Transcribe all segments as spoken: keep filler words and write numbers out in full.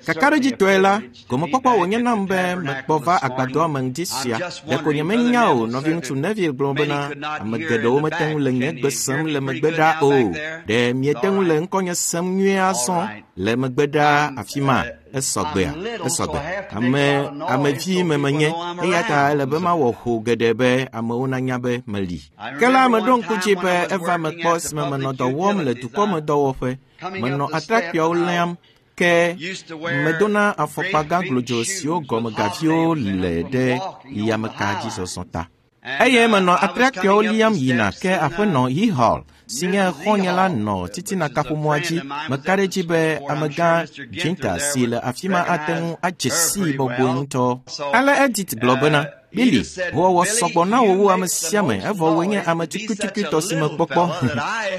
Kakaɖedzitɔe la, gomekpɔkpɔ wònye nam be mekpɔ va agbadɔa me ŋdi sia. Ɖeko nyemenya o, nɔviŋutsu Neville gblɔ bena ame geɖewo mete ŋu le nye gbe sem le megbe ɖaa o. Ɖe miete ŋu le ŋkɔnye sem nyuie azɔ le megbe ɖaa afi ma? Esɔgbea, esɔgbe. Ame amevi me menye eya ta ele be mawɔ ho geɖe be amewo nanya be meli. Ke la meɖo ŋku dzi be eva me kpɔ esime menɔ dɔ wɔm le dukɔmedɔwɔƒe. Menɔ atrakpuiawo liam ke medona afɔkpa gã glodzo siwo gɔme gaviwo le ɖe yameka dzi zɔzɔ ta. Eye menɔ atrakpuiawo liam yina ke aƒenɔ Hall si nye xɔ̃nye la nɔ titina kaƒomɔa dzi. Meka ɖe edzi be amegã Ginter si le afi ma ate ŋu adze sii bɔbɔe ŋutɔ. Ale Edith gblɔ bena, Billy, howɔwɔ sɔgbɔ na wò wu ame sia ame evɔ wòe nye ame tukuitukuitɔ si mekpɔkpɔ.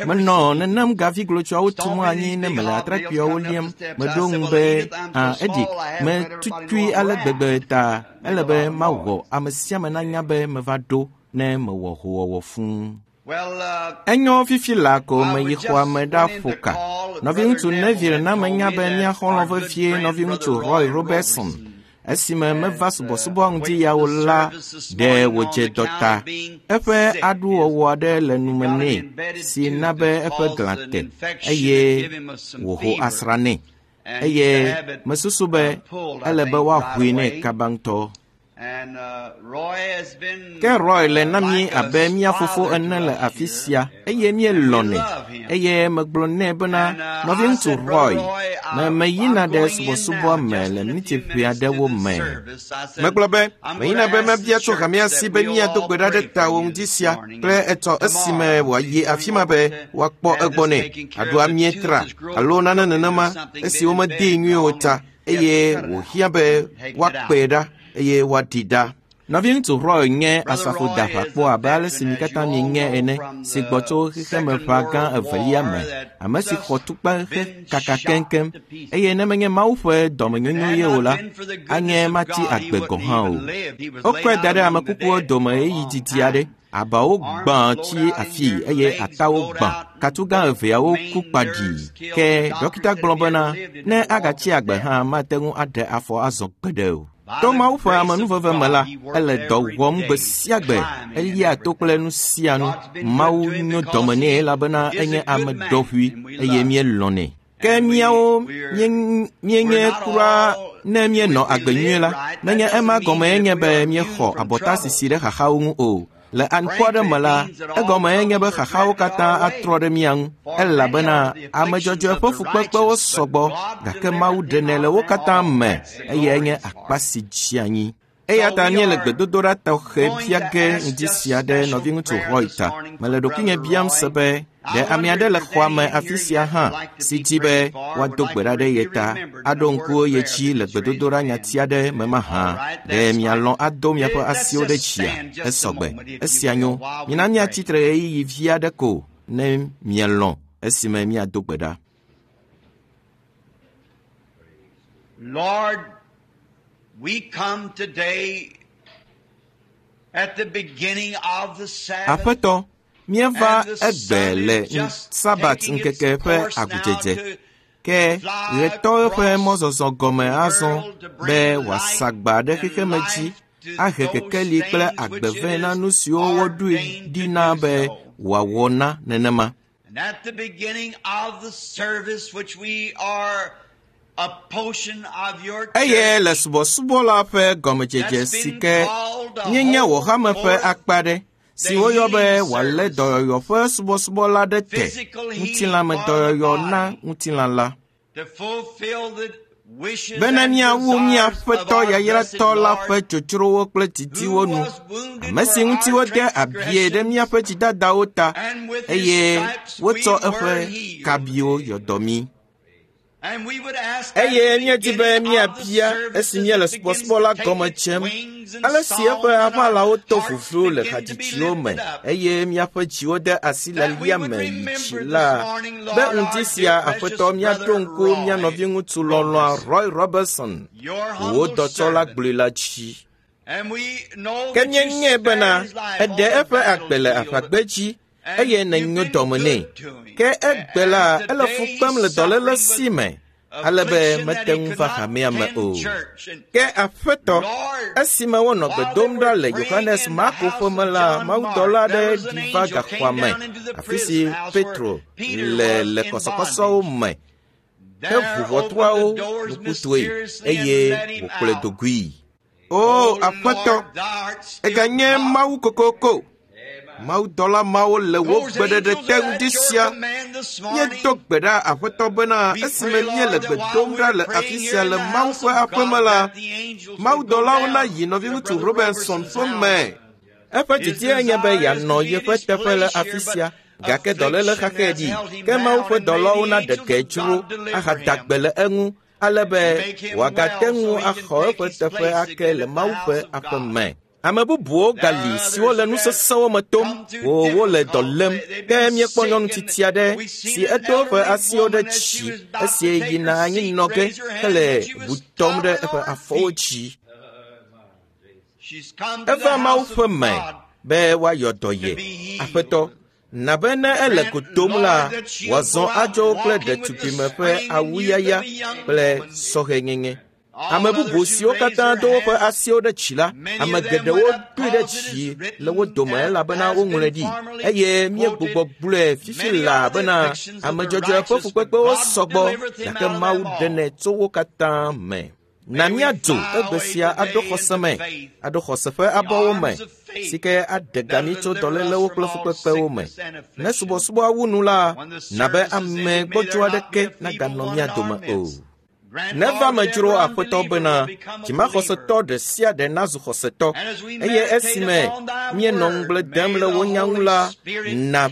Menɔ nenem gavi glotsoawo tum anyi ne mele atrakpuiawo liam. Meɖo ŋu be, ah, Edith, metukui ale gbegbe ta ele be mawɔ ame sia ame nanya be meva ɖo ne mewɔ howɔwɔ fũu. Enyo fifi laa ko meyi xɔa me ɖaƒo ka. Nɔviŋutsu Neville na menya be mía xɔlɔ̃ vevie nɔviŋutsu Roy Robertson esime meva subɔsubɔ ŋdi yawo la ɖe wòdze dɔ ta. Eƒe aɖuwɔwɔ aɖe le nume nɛ si na be eƒe glã te eye wòho asrã nɛ. Eye mesusu be ele be woaʋui nɛ kaba ŋutɔ. Ke Roy le na mí abe mía fofo ene le afi sia eye míelɔ̃nɛ. Eye megblɔ nɛ bena, nɔviŋutsu Roy, me meyina ɖe subɔsubɔa me le miniti ʋɛ aɖewo me. Megblɔ be, meyina be mabia tso hamea si be míado gbe ɖa ɖe tawò ŋdi sia kple etsɔ esime wòayi afi ma be woakpɔ egbɔ nɛ. Aɖo amietra alo nane nenema esi womedee nyuie o ta eye wòhiã be woakpee ɖa eye woaɖi ɖa. Nɔviŋutsu Roy nye asrafodaʋakpɔ abe ale si mi katã mienye ene si gbɔ tso xexemeʋa gã evelia me, ame si xɔ tukpa kaka keŋkeŋ eye ne menye Mawu ƒe dɔmenyonyo ye o la, anye matsi agbe gɔ̃ hã o. Wokɔe da ɖe ame kukuwo dome ɣeyiɣi didi aɖe. Abawo gbã tsi afii eye atawo gbã. Katugã eveawo ku kpaɖii. Ke dɔkita gblɔ bena ne agatsi agbe hã mate ŋu aɖe afɔ azɔ gbeɖe o. To Mawu ƒe amenuveve me la, ele dɔ wɔm gbe sia gbe, elia to kple nu sia nu. Mawu nyo dɔme nɛ elabena enye ame ɖɔʋui eye míelɔ̃nɛ. Ke míawo míenye kura ne míenɔ agbe nyuie la, menye ema gɔme nye be míexɔ abɔtasisi ɖe xaxawo ŋu o. Le aŋkɔ aɖe me la, egɔme nye be xaxawo katã atrɔ ɖe mía ŋu elabena ame dzɔdzɔe ƒe fukpekpewo sɔgbɔ gake Mawu ɖenɛ le wo katã me eyae nye akpa si dzi anyi. Eya ta míele gbedodoɖa tɔxɛ bia ge ŋdi sia ɖe nɔviŋutsu Roy ta. Mele ɖokuinye biam se be ɖe ame aɖe le xɔa me afi sia hã si di be woado gbe ɖa ɖe ye ta, aɖo ŋku ye dzi le gbedodoɖa nyati aɖe me mahã. Ɖe mialɔ̃ ado miaƒe asiwo ɖe dzia? Esɔgbe. Esia nyo. Mina míatsi tre ɣeyiɣi vi aɖe ko ne mielɔ̃ esime míado gbe ɖa. Lord, we come today at the beginning of the Sabbath. Aƒetɔ, míeva egbe le Sabat ŋkeke ƒe agudzedze. Ke ɣetɔ ƒe mɔzɔzɔ gɔme azɔ be wòasa agba ɖe xexeme dzi, ahe kekeli kple agbe vɛ na nu siwo woɖoe ɖi na be wòawɔ na nenema. And at the beginning of the service which we are a portion of your Eye le subɔsubɔ la ƒe gɔmedzedze si ke míenye wò hame ƒe akpa ɖe si woyɔ be wòalé dɔyɔyɔ ƒe subɔsubɔ la ɖe te, ŋutilãmedɔyɔyɔ na ŋutilã la. to fulfill the wishes Bena and míawu mía desires of Aƒetɔ our yayratɔ blessed la Lord, ƒe dzodzrowo kple didiwo who nu, was wounded ame si for ŋuti our wode abie ɖe míaƒe dzidadawo ta and with his eye stripes we wotsɔ were eƒe healed. kabiwo yɔ dɔ mí. And we would ask at Eye the míedi be beginning of the míabia service esi as míele it begins subɔsubɔ la to take gɔme its dzem, wings and ale si eƒe songs and our aʋalawo to hearts vuvlu le begin to be hadzidziwo me lifted up. eye míaƒe dziwo de asi That we lialia would me yi remember dzi this la, morning, be Lord, our ŋdi dear sia precious Aƒetɔ míaɖo brother ŋku mía Roy nɔviŋutsu lɔlɔ̃a Robertson, Roy Robertson, your wò humble dɔtsɔla servant. gblɔe la dzi. And we know Ke that you míenyae spared bena his life eɖe on the eƒe agbe le battlefield, aʋagbedzi and eye you've nènyo been dɔme nɛ. good to him. Ke egbe la, And ele today fu kpem he's le dɔléle suffering si with me ale be mete ŋu va hamea me o. Ke Aƒetɔ, esime wonɔ gbe dom ɖa le Yohanes Marko ƒe me la, mawudɔla aɖe ɖi va gaxɔa me, afi si Petro le le kɔsɔkɔsɔwo me, heʋu ʋɔtruawo nukutɔe eye wòkplɔe do goe. O Aƒetɔ, eganye Mawu kokoko. Mawudɔla mawo le wò gbeɖeɖe te ŋdi sia. Míedo gbe ɖa Aƒetɔ bena esime míele gbe dom ɖa le afi sia le Mawu ƒe aƒeme la, mawudɔlawo nayi nɔviŋutsu Robinson ƒe me. Eƒe didie nye be yeanɔ yeƒe teƒe le afi sia, gake dɔléle xaxɛ ɖi, ke Mawu ƒe dɔlawo naɖe ge dzro ahada gbe le eŋu, ale be wòagate ŋu axɔ eƒe teƒe ake le Mawu ƒe aƒe me. Ame bubuwo gali siwo le nu sesẽwo me tom, wo wole dɔ lém. Ke míekpɔ nyɔnu tsitsi aɖe si edo eƒe asiwo ɖe dzi esi yina anyinɔ ge hele ʋu tɔm ɖe eƒe afɔwo dzi. Eva Mawu ƒe me be woayɔ dɔ ye. Aƒetɔ, na be ne ele go dom la, wòazɔ adzo kple ɖetugbime ƒe awuyaya kple sɔhɛnyenye. Ame bubu siwo katã do woƒe asiwo ɖe dzi la, ame geɖewo doe ɖe dzi le wo dome elabena woŋlɔe ɖi, eye míegbugbɔ gblɔe fifi laa bena ame dzɔdzɔe ƒe fukpekpewo sɔgbɔ, gake Mawu ɖenɛ tso wo katã me. Na míadzo egbe sia aɖo xɔse me, aɖo xɔse ƒe abɔwo me, si ke aɖe ga mí tso dɔlélewo kple fukpekpewo me. Ne subɔsubɔa wu nu la, na be ame gbɔdzɔ aɖeke naganɔ mía dome o. Neva medzro Aƒetɔ bena dzimaxɔsetɔ ɖe sia ɖe nazu xɔsetɔ, eye esime míenɔ ŋugble dem le wò nya ŋu la, na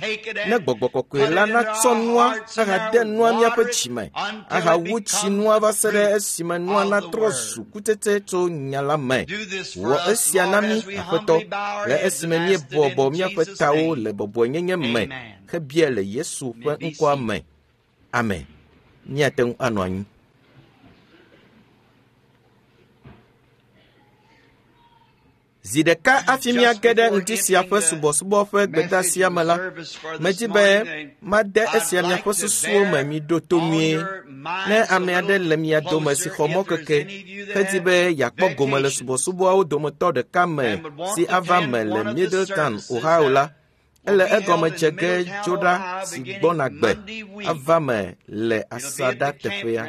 ne gbɔgbɔ kɔkɔe la natsɔ nua ahade nua míaƒe dzime, ahawu tsi nua va se ɖe esime nua natrɔ zu kutsetse tso nya la me. Wɔ esia na mí, Aƒetɔ, le esime míebɔbɔ míaƒe tawo le bɔbɔenyenye me hebia le Yesu ƒe ŋkɔa me. Amen. Míate ŋu anɔ anyi. Zi ɖeka hafi míage ɖe ŋdi sia ƒe subɔsubɔ ƒe gbedeasia me la, medi be made esia miaƒe susuwo me miɖo to nyuie. Ne ame aɖe le mia dome si xɔ mɔkeke hedi be yeakpɔ gome le subɔsubɔawo dometɔ ɖeka me si ava me le Middletown, Ohio la, ele egɔme dze ge tso ɖa si gbɔna gbe ava me le asaɖateƒea.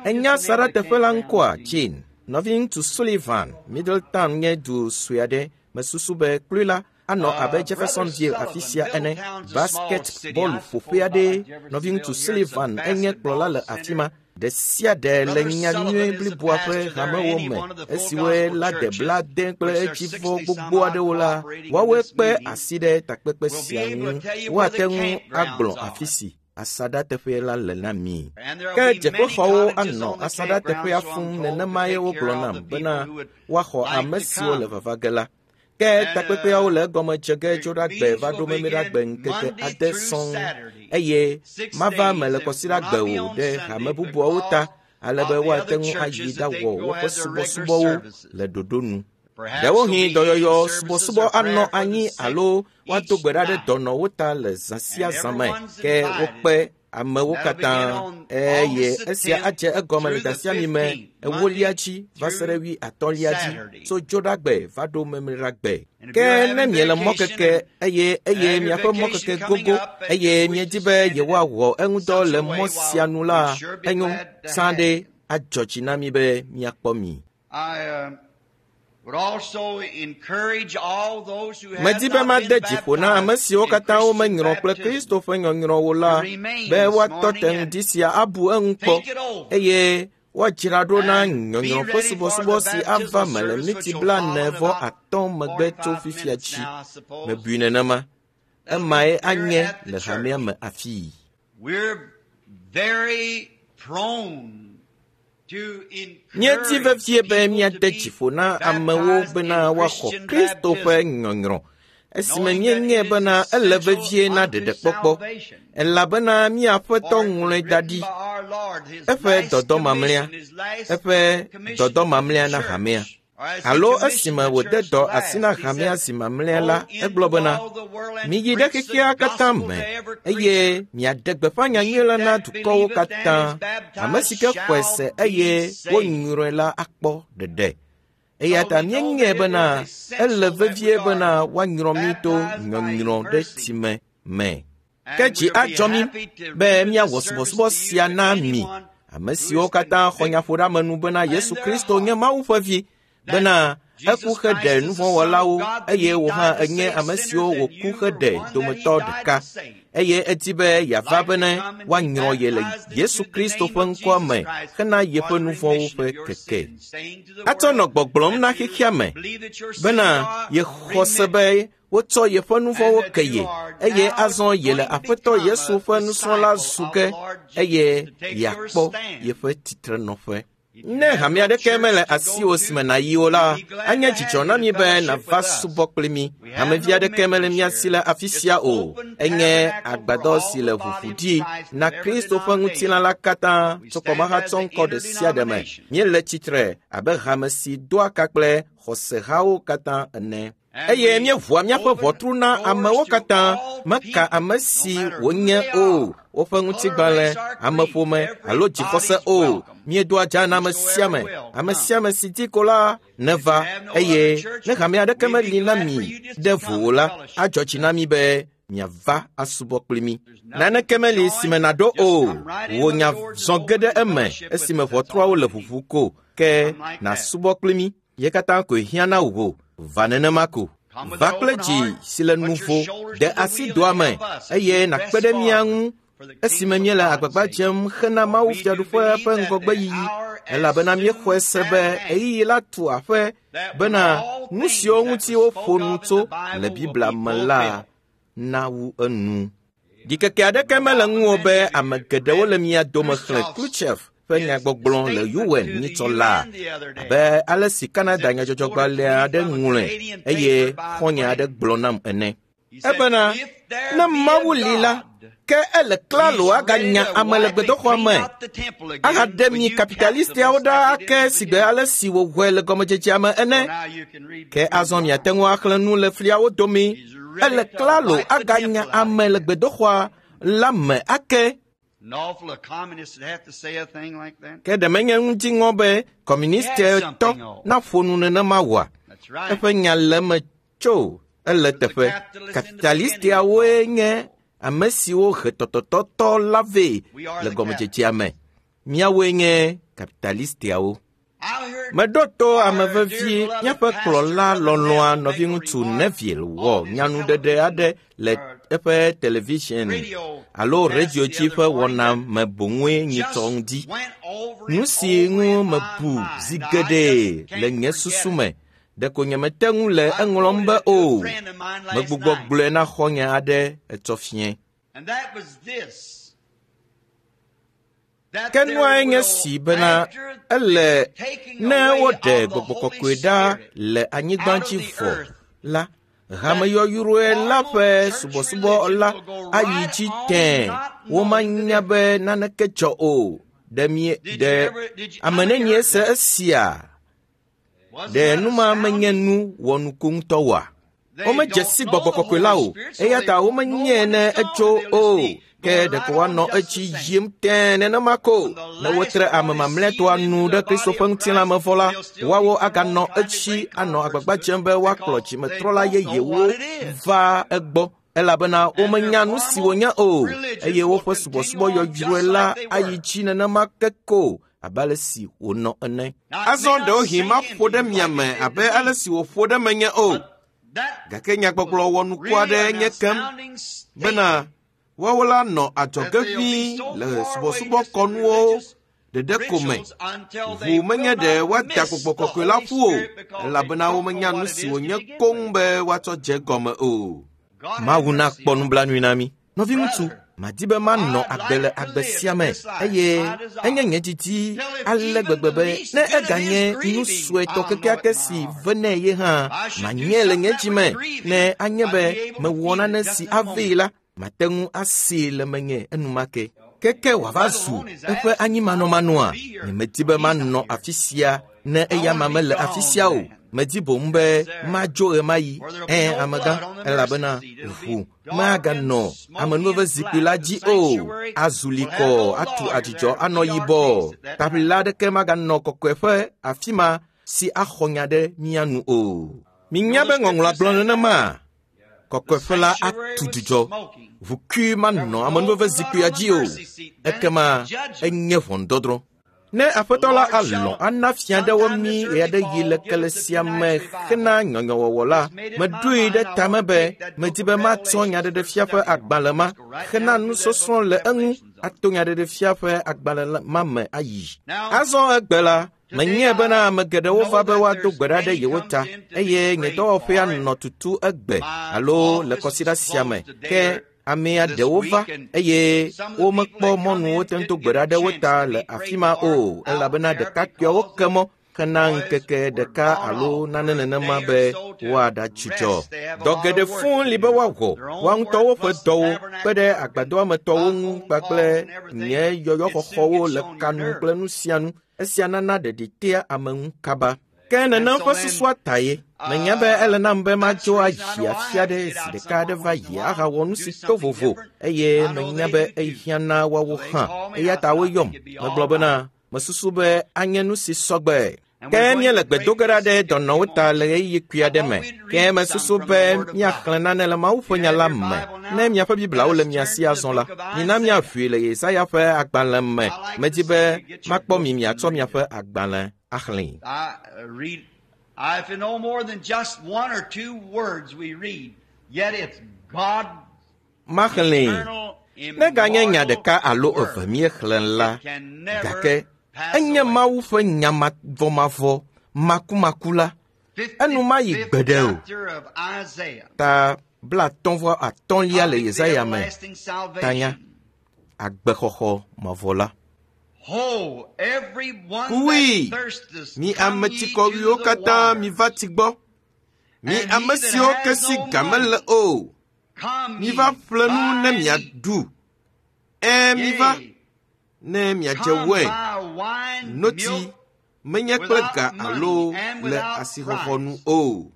Enya asaɖateƒe la ŋkɔa, Jane? Nɔviŋutsu Sullivan, Middletown nye du sue aɖe. Mesusu be kplui la anɔ abe Jeffersonville afi sia ene. Basketbɔlu ƒoƒe aɖee. Nɔviŋutsu Sullivan enye kplɔla le afi ma. Ɖe sia ɖe le nya nyui bliboa ƒe hamewo me esiwoe la de blaade kple edzivɔ gbogbo aɖewo la, woawoe kpe asi ɖe takpekpe sia ŋu. Woate ŋu agblɔ afi si asaɖateƒe la le na mi. Ke dzeƒexɔwo anɔ asaɖateƒea fũu nenemae wogblɔ nam bena woaxɔ ame siwo le vava ge la. Ke takpekpeawo le egɔme dze ge tso ɖagbe va ɖo memleɖagbe ŋkeke ade sɔŋ, eye mava me le kɔsiɖagbe o ɖe hame bubuawo ta, ale be woate ŋu ayi ɖawɔ woƒe subɔsubɔwo le ɖoɖo nu. Ɖewohĩ dɔyɔyɔ subɔsubɔ anɔ anyi alo woado gbe ɖa ɖe dɔnɔwo ta le zã sia zã me, ke wokpe amewo katã, eye esia adze egɔme le dasiami me ewolia dzi va se ɖe wui atɔ̃lia dzi tso dzoɖagbe va ɖo memleɖagbe. Ke ne miele mɔkeke eye eye miaƒe mɔkeke gogo eye miedi be yewoawɔ eŋudɔ le mɔ sia nu la, enyo sã ɖe adzɔ dzi na mi be miakpɔ mi. Medi be made dzi ƒo na ame siwo katã womenyrɔ kple Kristo ƒe nyɔnyrɔwo la be woatɔ te ŋdi sia abu eŋu kpɔ eye woadzra ɖo na nyɔnyrɔ ƒe subɔsubɔ si ava me le miniti blaene vɔ atɔ̃ megbe tso fifia dzi. Mebui nenema. Emae anye le hamea me afii. Míedi vevie be míade dzi ƒo na amewo bena woaxɔ Kristo ƒe nyɔnyrɔ esime míenyae bena ele vevie na ɖeɖekpɔkpɔ, elabena mía Aƒetɔ ŋlɔe da ɖi. Eƒe dɔdɔ mamlɛa, eƒe dɔdɔ mamlɛa na hamea. Alo esime wòde dɔ asi na hamea zi mamlɛa la, egblɔ bena, miyi ɖe xexea katã me eye miaɖe gbeƒã nyanyui la na dukɔwo katã. Ame si ke xɔe se eye wonyrɔe la akpɔ ɖeɖe. Eya ta míenyae bena ele vevie bena woanyrɔ mí to nyɔnyrɔ ɖe tsime me. Ke dzi adzɔ mí be míawɔ subɔsubɔ sia na mi, ame siwo katã xɔ nyaƒoɖeamenu bena Yesu Kristo nye Mawu ƒe vi, bena eku heɖe nuvɔ̃wɔlawo eye wò hã enye ame siwo wòku heɖe dometɔ ɖeka eye edi be yeava bene woanyrɔ ye le Yesu Kristo ƒe ŋkɔa me hena yeƒe nuvɔ̃wo ƒe keke. Atsɔ nɔ gbɔgblɔm na xexea me bena yexɔ se be wotsɔ yeƒe nuvɔ̃wo ke ye eye azɔ yele Aƒetɔ Yesu ƒe nusrɔ̃la zu ge eye yeakpɔ yeƒe titrenɔƒe. Ne hame aɖeke mele asiwò si me nàyi o la, anye dzidzɔ na mí be nàva subɔ kpli mí. Hamevi aɖeke mele mía si le afi sia o. Enye agbadɔ si le ʋuʋu ɖi na Kristo ƒe ŋutilã la katã tso kɔmahatsɔ ŋkɔ ɖe sia ɖe me. Míele tsitre abe hame si doa ka kple xɔsehawo katã ene. Eye míeʋua míaƒe ʋɔtru na amewo katã, meka ame si wonye o, woƒe ŋutigbalẽ, ameƒome alo dzixɔse o. Míedoa dza na ame sia ame, ame sia ame si di ko la neva eye ne hame aɖeke meli na mi ɖe vo o la, adzɔ dzi na mi be miava asubɔ kpli mí. Naneke meli si me nàɖo o, wò nya zɔ ge ɖe eme esime ʋɔtruawo le ʋuʋu ko, ke nàsubɔ kpli mí. Ye katã koe hiã na wò. Va nenema ko. Va kple dzi si le nuvo, de asi doa me eye nàkpe ɖe mía ŋu esime míele agbagba dzem hena Mawu Fiaɖuƒea ƒe ŋgɔgbeyiyi, elabena míexɔe se be ɣeyiɣi la tu aƒe bena nu siwo ŋuti woƒo nu tso le Biblia me la nawu enu. Ɖikeke aɖeke mele ŋuwò be ame geɖewo le mia dome xlẽ Khrushchev ƒe nyagbɔgblɔ le U N nyitsɔ laa abe ale si Canada nyadzɔdzɔgbalẽ aɖe ŋlɔe eye xɔ̃nye aɖe gblɔ nam ene. Ebena ne Mawu li la, ke ele klalo aganya ame le gbedoxɔa me ahaɖe mi kapitalistiawo ɖa ake sigbe ale si wòwɔe le gɔmedzedzea me ene. Ke azɔ miate ŋu axlẽ nu le fliawo dome. Ele klalo aganya ame le gbedoxɔa la me ake. Ke ɖe menye ŋuti ŋɔ be kɔmunistitɔ naƒo nu nenema oa? Eƒe nya le eme tso ele teƒe. Kapitalistiawoe nye ame siwo he tɔtɔtɔtɔ la vɛ le gɔmedzedzea me. Míawoe nye kapitalistiawo. Meɖo to ame vevi míaƒe kplɔla lɔlɔ̃a nɔviŋutsu Neville wɔ nyanuɖeɖe aɖe le eƒe television alo radio dzi ƒe wɔna me boŋue nyitsɔ ŋdi. Nu si ŋu mebu zi geɖe le nye susu me, ɖeko nyemete ŋu le eŋlɔm be o. Megbugbɔ gblɔe na xɔ̃nye aɖe etsɔ fiẽ. Ke nuae nye si bena ele ne woɖe gbɔgbɔ kɔkɔe ɖa le anyigba dzi vɔ la, hameyɔyɔe la ƒe subɔsubɔ la ayi dzi tẽe. Womanya be naneke dzɔ o. Ɖe mie ɖe ame nenie se esia? Ɖe nu ma menye nu wɔnuku ŋutɔ oa? Womedze si gbɔgbɔ kɔkɔe la o, eya ta womenyae ne etso o. Ke ɖeko woanɔ etsi yim tẽe nenema ko. Ne wotre ame mamlɛtɔa nu ɖe Kristo ƒe ŋutilã me vɔ la, woawo aganɔ etsi anɔ agbagba dzem be woakplɔ dzimetrɔla yeyewo va egbɔ, elabena womenya nu si wònye o, eye woƒe subɔsubɔ yɔyrɔe la ayi dzi nenema ke ko abe ale si wònɔ ene. Azɔ ɖewohĩ maƒo ɖe mia me abe ale si wòƒo ɖe menye o. Gake nyagbɔgblɔ wɔnuku aɖe nye kem bena woawo la nɔ adzɔge ʋĩi le subɔsubɔkɔnuwo ɖeɖe ko me. Ʋu menye ɖe woada gbɔgbɔ kɔkɔe la ƒu o, elabena womenya nu si wònye koŋ be woatsɔ dze gɔme o. Mawu nakpɔ nublanui na mí. Nɔviŋutsu, madi be manɔ agbe le agbe sia me eye enye nye didi ale gbegbe be ne eganye nu suetɔ kekeake si venɛ ye hã, manye le nye dzi me ne anye be mewɔ nane si avee la, mate ŋu asee le menye enumake. Keke wòava zu eƒe anyimanɔmanɔa, nyemedi be manɔ afi sia Ne eya ma mele afi sia o, medi boŋ be madzo ɣemaɣi. Ẽ, amegã, elabena ʋu maganɔ amenuveve zikpui la dzi o. Azu likɔ, atu adzudzɔ anɔ yibɔ. Taʋlila aɖeke maganɔ kɔkɔeƒe afi ma si axɔ nya ɖe mía nu o. Minya be ŋɔŋlɔa gblɔ nenema? Kɔkɔeƒe la atu dzudzɔ. Ʋukui manɔ amenuveve zikpuia dzi o. Ekema enye ʋɔnudɔdrɔ̃. Ne aƒetɔ la alɔ̃ ana fia ɖewo mí ɣeaɖeɣi le kele sia me hena nyɔnyɔwɔwɔ la, meɖoe ɖe tame be medi be matsɔ nyaɖeɖefia ƒe agbalẽ ma hena nusɔsrɔ̃ le eŋu ato nyaɖeɖefia ƒe agbalẽ ma me ayi. Azɔ egbe la, menye bena ame geɖewo va be woado gbe ɖa ɖe yewo ta eye nye dɔwɔƒea nɔ tutu egbe alo le kɔsiɖa sia me ke amea ɖewo va eye womekpɔ mɔnuwo te ŋu do gbe ɖa ɖe wo ta le afi ma o elabena ɖekakpuiawo ke mɔ hena ŋkeke ɖeka alo nane nenema be woaɖadzudzɔ. Dɔ geɖe fũu li be woawɔ woa ŋutɔwo ƒe dɔwo kpe ɖe agbadɔa me tɔwo ŋu kpakple nye yɔyɔxɔxɔwo le kanu kple nu sia nu. Esia nana ɖeɖi tea ame ŋu kaba. Ke nenem ƒe susua ta ye. Menya be ele nam be madzo ayi afi aɖe zi ɖeka aɖe va yi ahawɔ nu si to vovo eye menya be ehiã na woawo hã. Eya ta woyɔm. Megblɔ bena mesusu be anye nu si sɔgbe. Ke míele gbe do ge ɖa ɖe dɔnɔwo ta le ɣeyiɣi kpui aɖe me. Ke mesusu be míaxlẽ nane le Mawu ƒe nya la me. Ne miaƒe Bibliawo le mia si azɔ la, mina míaʋui le Yesaya ƒe agbalẽ me. Medi be makpɔ mi miatsɔ miaƒe agbalẽ axlẽe. If no more than just one or two words we read, yet it's God. Maxlẽe. Neganye nya ɖeka alo eve míexlẽ la, gake enye Mawu ƒe nya mavɔmavɔ makumaku la. Enu mayi gbeɖe o. Ta blatɔ̃ vɔ atɔ̃lia le Yesaya me. Tanya agbexɔxɔ mavɔ la. Kui, mi ame tsikɔwuiwo katã miva tsi gbɔ. Mi ame siwo ke si ga mele o, miva ƒle nu ne miaɖu. Ẽ, miva ne miadze wain, notsi, menye kple ga alo le asixɔxɔ nu o.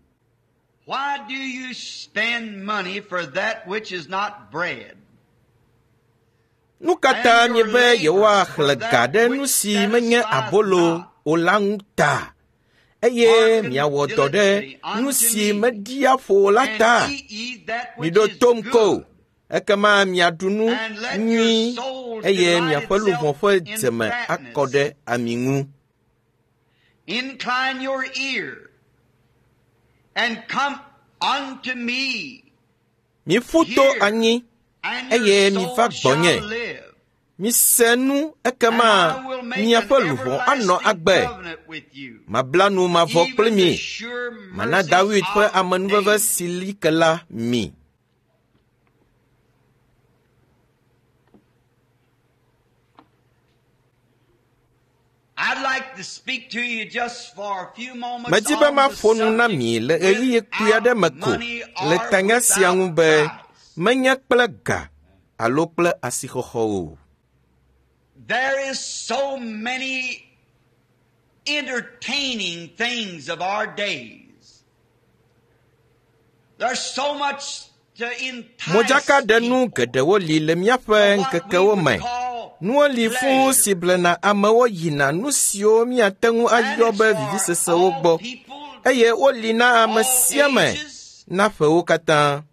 Why do you spend money for that which is not bread? Nu ka ta miebe yewoaxlẽ ga ɖe nu si menye abolo o la ŋu ta eye miawɔ dɔ ɖe nu si meɖia ƒo o la ta? Miɖo tom ko, ekema miaɖu nu nyui eye miaƒe luʋɔ ƒe dzeme akɔ ɖe ami ŋu. Incline your ear and come unto me. Miƒu to anyi eye miva gbɔnye. Mise nu ekema miaƒe luʋɔ anɔ agbe. Mabla nu mavɔ kpli mi. Mana David ƒe amenuveve si li ke la mi. Medi be maƒo nu na mi le ɣeyiɣi kpui aɖe me ko le tanya sia ŋu be menye kple ga alo kple asixɔxɔ o. There is so many entertaining things of our days. There's so much to entice Modzakaɖenu geɖewo li le míaƒe ŋkekewo me. Nuwo li fũu si blena amewo yina nu siwo míate ŋu ayɔ be vivisesewo gbɔ eye woli na ame sia ame na ƒewo katã.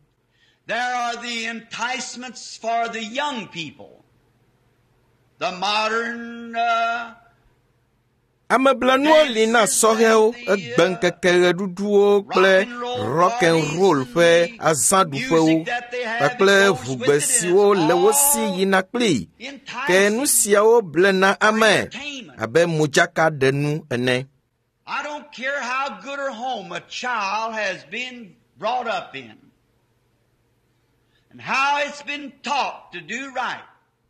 There are the enticements for the young people. The modern uh, Ameblenuwo li na sɔhɛwo, egbeŋkeke ɣeɖuɖuwo kple rock and roll ƒe azãɖuƒewo kpakple ʋugbe siwo le wo si yina kpli. Ke nu siawo blena ame abe modzakaɖenu ene. I don't care how good a home a child has been brought up in and how it's been taught to do right.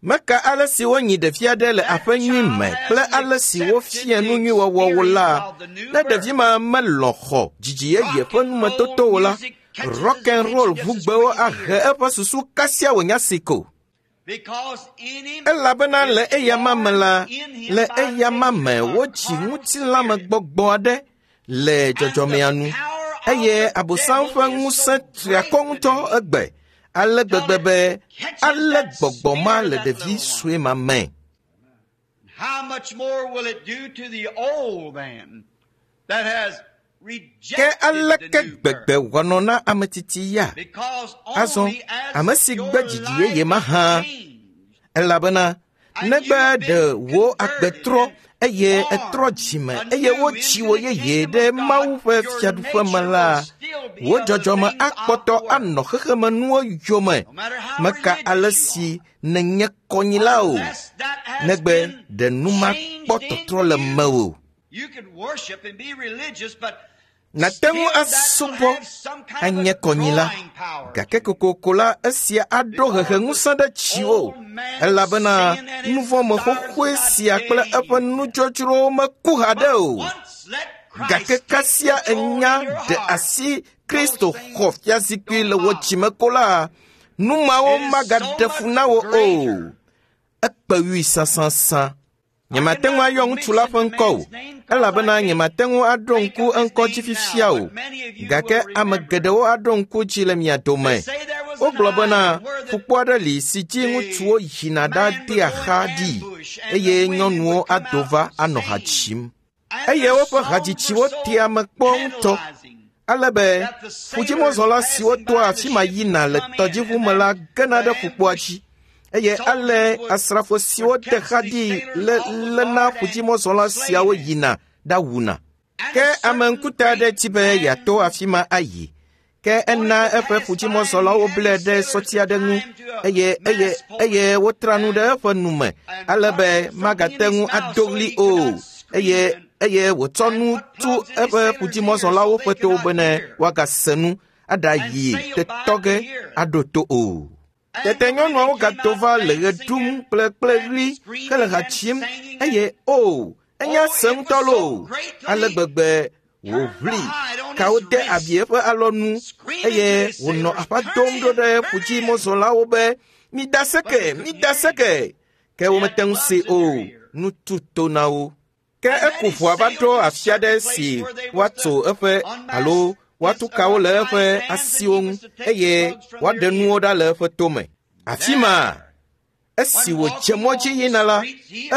Meka ale si wonyi ɖevi aɖe le aƒe nyui me kple ale si wofia nu nyui wɔwɔ wo la, ne ɖevi ma melɔ̃ xɔ dzidzi yeye ƒe numetoto o la, rock and roll ʋugbewo ahe eƒe susu kasia wònya si ko. Elabena le eyama me la, le eyama me wotsi ŋutilãmegbɔgbɔ aɖe le dzɔdzɔmea nu eye abosam ƒe ŋusẽ tri akɔ ŋutɔ egbe ale gbegbe be ale gbɔgbɔ ma le ɖevi sue ma me. Ke aleke gbegbe wòanɔ na ame titi ya? Azɔ ame si gbe dzidzi yeye ma hã, elabena negbe ɖe wò agbe trɔ eye etrɔ dzime eye wotsi wò yeye ɖe Mawu ƒe fiaɖuƒe me la, wò dzɔdzɔme akpɔtɔ anɔ xexemenuwo yome. Meka ale si nènye kɔnyila o, negbe ɖe nu ma kpɔ tɔtrɔ le mewò. Nàte ŋu asubɔ anye kɔnyila, gake kokoko la esia aɖo heheŋusẽ ɖe dziwò, elabena nuvɔ̃me xoxoe sia kple eƒe nudzodzrowo meku haɖe o. Gake kasia enya ɖe asi Kristo xɔ fiazikpui le wò dzime ko la, nu mawo magaɖe fu na wò o. Ekpe wui sãsãsã. Nyemate ŋu ayɔ ŋutsu la ƒe ŋkɔ o, elabena nyemate ŋu aɖo ŋku eŋkɔ dzi fifia o, gake ame geɖewo aɖo ŋku dzi le mia dome. Wogblɔ bena ƒukpo aɖe li si dzi ŋutsuwo yina ɖadea xa ɖi eye nyɔnuwo ado va anɔ ha dzim. Eye woƒe hadzitsiwo tea ame kpɔ ŋutɔ, ale be ƒudzimɔzɔla siwo toa afi ma yina le tɔdziʋu me la gena ɖe ƒukpoa dzi. Eye ale asrafo siwo de xa ɖi le léna ƒudzimɔzɔla siawo yina ɖawuna. Ke ame ŋkuta aɖe di be yeato afi ma ayi. Ke ena eƒe ƒudzimɔzɔlawo blae ɖe sɔti aɖe ŋu eye eye eye wotra nu ɖe eƒe nu me ale be magate ŋu ado ɣli o. Eye eye wòtsɔ nu tu eƒe ƒudzimɔzɔlawo ƒe towo bene woagase nu aɖayi tetɔ ge aɖo to o. Tete nyɔnuawo gato va le ɣe ɖum kple kple ɣli hele ha dzim eye o, enya se ŋutɔ loo ale gbegbe wòʋli kawo de abi eƒe alɔnu eye wònɔ aƒa dom ɖo ɖe ƒudzimɔzɔlawo be mida seke, mida seke. Ke womete ŋu se o, nu tu to na wo. Ke eku ʋua va ɖo afi aɖe si woatso eƒe alo woatu kawo le eƒe asiwo ŋu eye woaɖe nuwo ɖa le eƒe tome. Afi ma, esi wòdze mɔ dzi yina la,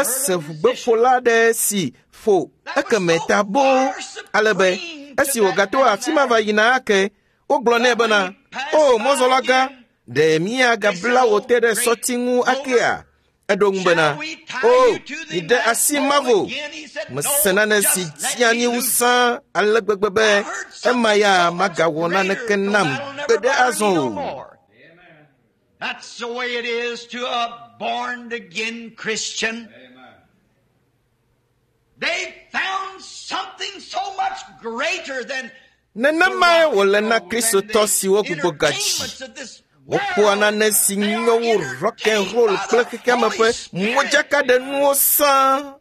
ese ʋugbeƒola aɖe si ƒo ekeme ta boo ale be esi wògato afi ma va yina ake, wogblɔ nɛ bena, o mɔzɔla gã, ɖe míagabla wò te ɖe sɔti ŋu akea? Eɖo ŋu bena, o, miɖe asi mavo. Mese nane si dzia anyi wu sãa ale gbegbe be ema ya magawɔ naneke nam gbeɖe azɔ o. That's the way it is to a born again Christian. They found something so much greater than Nenemae wòle na Kristotɔ siwo gbugbɔ gadzi. Wokpɔa nane si nyo wu rock and roll kple xexeame ƒe modzakaɖenuwo sãa.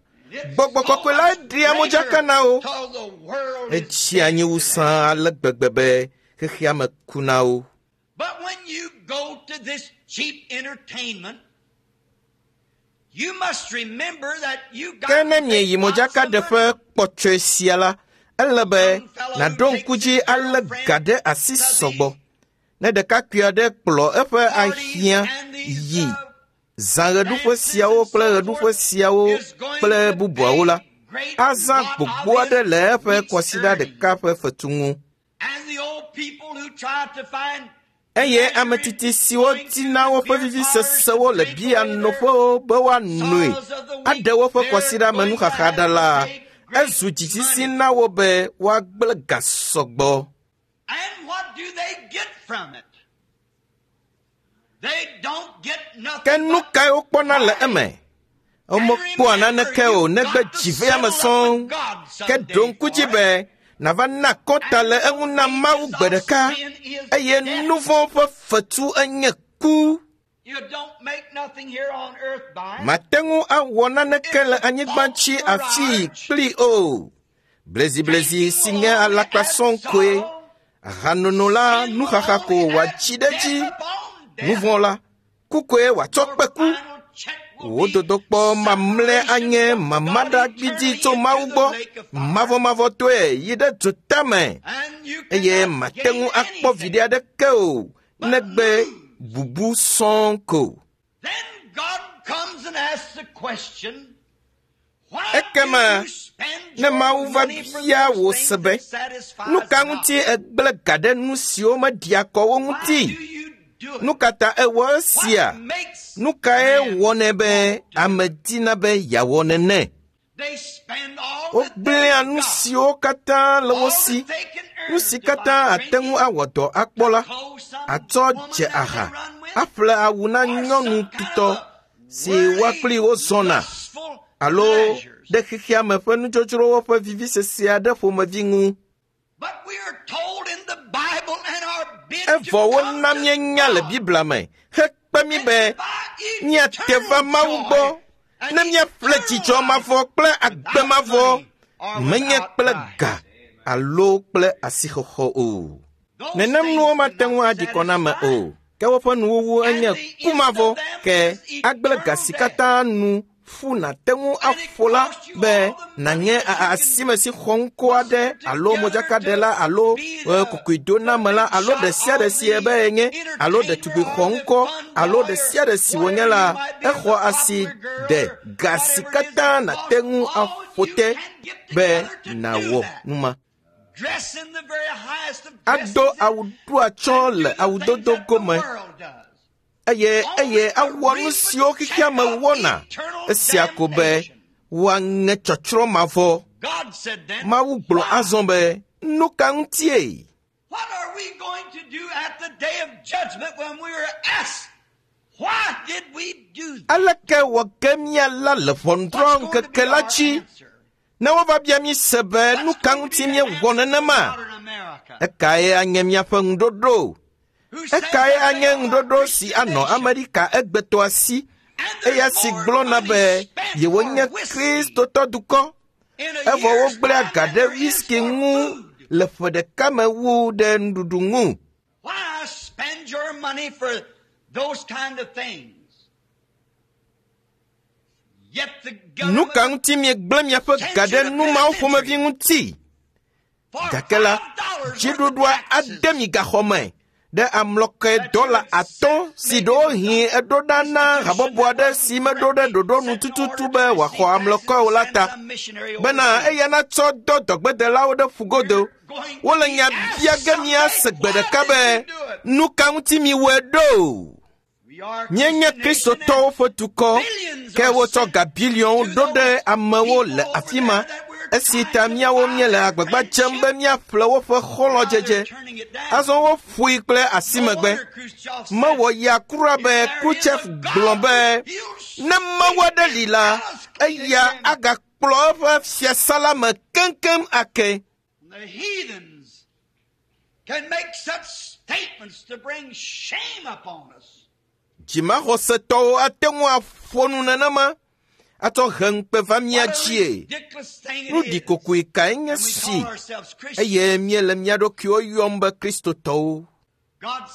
Gbɔgbɔ kɔkɔe la ɖea modzaka na wo. Etsia anyi wu sãa ale gbegbe be xexeame ku na wo. But when you go to this cheap entertainment, you must remember that you got Ke ne mieyi modzakaɖeƒe kpɔtsɔe sia la, ele be nàɖo ŋku dzi alé ga ɖe asi sɔgbɔ. Ne ɖekakpui aɖe kplɔ eƒe ahiã yi zã ɣeɖuƒe siawo kple ɣeɖuƒe siawo kple bubuawo la, azã gbogbo aɖe le eƒe kɔsiɖa ɖeka ƒe fetu ŋu. And the old people who try to find Eye ame titi siwo dina woƒe vivisesewo le bia noƒewo be woanoe aɖe woƒe kɔsiɖa me nuxaxa ɖa la, ezu dzitsitsi na wo be woagblẽ ga sɔgbɔ. And what do they get from it? They don't get nothing. Ke nu kae wokpɔna le eme? Womekpɔa naneke o negbe dziveame sɔŋ. Ke ɖo ŋku dzi be nàva na kɔnta le eŋu na Mawu gbe ɖeka eye nu vɔ̃ ƒe fetu enye ku. You don't make nothing here on earth by it. Mate ŋu awɔ naneke le anyigba dzi afii kpli o. Bleziblezi si nye alakpa sɔŋ koe. Ahanono la nuxaxa ko wòatsi ɖe edzi. Nu vɔ̃ la, Ku koe wòatsɔ kpe ku. Wò dodokpɔ mamlɛ anye mamaɖagbidi tso Mawu gbɔ mavɔmavɔtɔe yi ɖe dzotame eye mate ŋu akpɔ viɖe aɖeke o negbe bubu sɔŋ ko. Ekema ne Mawu va bia wò se be, nu ka ŋuti ègblẽ ga ɖe nu siwo meɖia kɔ wo ŋuti? Nu ka ta ewɔ esia? Nu kae wɔnɛ be ame dina be yeawɔ nene? Wogblẽa nu siwo katã le wo si, nu si katã ate ŋu awɔ dɔ akpɔ la, atsɔ dze aha, aƒle awu na nyɔnu tutɔ si woa kpli wo zɔna alo ɖe xexea me ƒe nudzodzrowo ƒe vivisese aɖe ƒomevi ŋu. Evɔ wona míenya le Biblia me hekpe mí be míate va Mawu gbɔ ne míaƒle dzidzɔ mavɔ kple agbe mavɔ, menye kple ga alo kple asixɔxɔ o. Nenem nuwo mate ŋu aɖi kɔ na ame o, ke woƒe nuwuwu enye ku mavɔ, ke agblẽ ga si katã nu ƒu nàte ŋu aƒo la be nànye asime si xɔ ŋkɔ aɖe alo modzakaɖela alo kokoedonamela alo ɖe sia ɖe si ebe yenye alo ɖetugbi xɔ ŋkɔ alo ɖe sia ɖe si wònye la, exɔ asi ɖe ga si katã nàte ŋu aƒo te be nàwɔ nu ma. Ado awu ɖo atsyɔ̃ le awudodo gome eye eye awɔ nu siwo xexea me wɔna esia ko be woaŋe tsɔtsrɔ̃ mavɔ. Mawu gblɔ azɔ be, nu ka ŋutie? Aleke wɔ ge míala le ʋɔnudrɔ̃ŋkeke la dzi ne wova bia mí se be nu ka ŋuti míewɔ nenema? Ekae anye míaƒe ŋuɖoɖo? Ekae anye ŋuɖoɖo si anɔ Amerika egbetɔa si, eya si gblɔna be yewonye Kristotɔ dukɔ, evɔ wogblẽa ga ɖe whisky ŋu le ƒe ɖeka me wu ɖe nuɖuɖu ŋu? Nu ka ŋuti miegblẽ miaƒe ga ɖe nu mawo ƒomevi ŋuti? Gake la, dziɖuɖua ade mi gaxɔ me ɖe amlɔkɔe dɔla atɔ̃ si ɖewohĩ eɖo ɖa na habɔbɔ aɖe si meɖo ɖe ɖoɖo nu tututu be wòaxɔ amlɔkɔe o la ta, bena eya natsɔ dɔ dɔgbedelawo ɖe ƒugodo. Wole nya bia ge míase gbe ɖeka be, nu ka ŋuti miwɔe ɖo? Míenye Kristotɔwo ƒe dukɔ, ke wotsɔ ga biliɔnwo ɖo ɖe amewo le afi ma, esi ta míawo míele agbagba dzem be míaƒle woƒe xɔlɔ̃dzedze. Azɔ woƒoe kple asimegbe. Mewɔ ya kura be Khrushchev gblɔ be ne Mawu aɖe li la, eya agakplɔ eƒe fiasã la me keŋkeŋ ake. Dzimaxɔsetɔwo ate ŋu aƒo nu nenema atsɔ he ŋukpe va mía dzie. Nu ɖikokoe kae nye si eye míele mía ɖokuiwo yɔm be Kristotɔwo.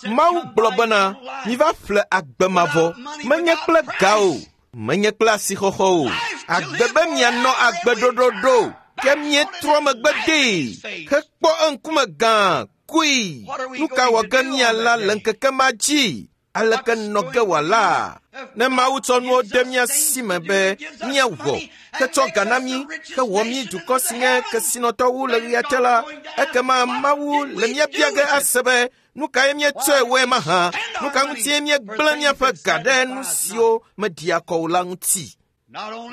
Mawu gblɔ bena, miva ƒle agbe mavɔ, menye kple ga o, menye kple asixɔxɔ o. Agbe be mianɔ agbe ɖoɖoɖo, ke míetrɔ megbe dee hekpɔ eŋkume gã kui. Nu ka wɔ ge míala le ŋkeke ma dzi? Aleke nɔ ge wòala? Ne Mawu tsɔ nuwo de mía si me be míawɔ, hetsɔ ga na mí, hewɔ mí dukɔ si nye kesinɔtɔwo le ɣea te la, ekema Mawu le mía bia ge ase be nu kae míetsɔe wɔe mahã? Nu ka ŋutie míegblẽ míaƒe ga ɖe nu siwo meɖia kɔ o la ŋuti?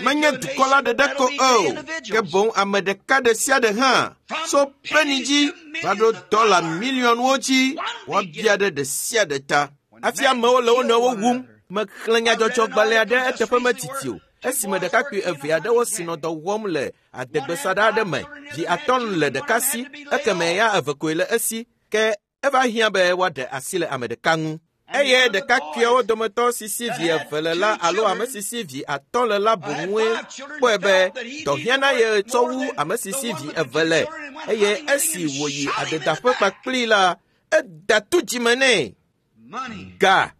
Menye dukɔ la ɖeɖe ko o, ke boŋ ame ɖeka ɖe sia ɖe hã tso peni dzi va ɖo dɔla miliɔnwo dzi woabia ɖe ɖe sia ɖe ta. Hafi amewo le wo nɔewo wum. Mexlẽ nyadzɔdzɔgbalẽ aɖe eteƒe metiti o, esime ɖekakpui eve aɖewo si nɔ dɔ wɔm le adegbesaɖa aɖe me. Vi atɔ̃ le ɖeka si, ekeme ya eve koe le esi, ke eva hiã be woaɖe asi le ame ɖeka ŋu. Eye ɖekakpuiawo dometɔ si si vi eve le la alo ame si si vi atɔ̃ le la boŋue kpɔe be dɔ hiã na ye tsɔ wu ame si si vi eve le. Eye esi wòyi adedaƒe kpakplii la, eda tu dzime nɛ. Ga.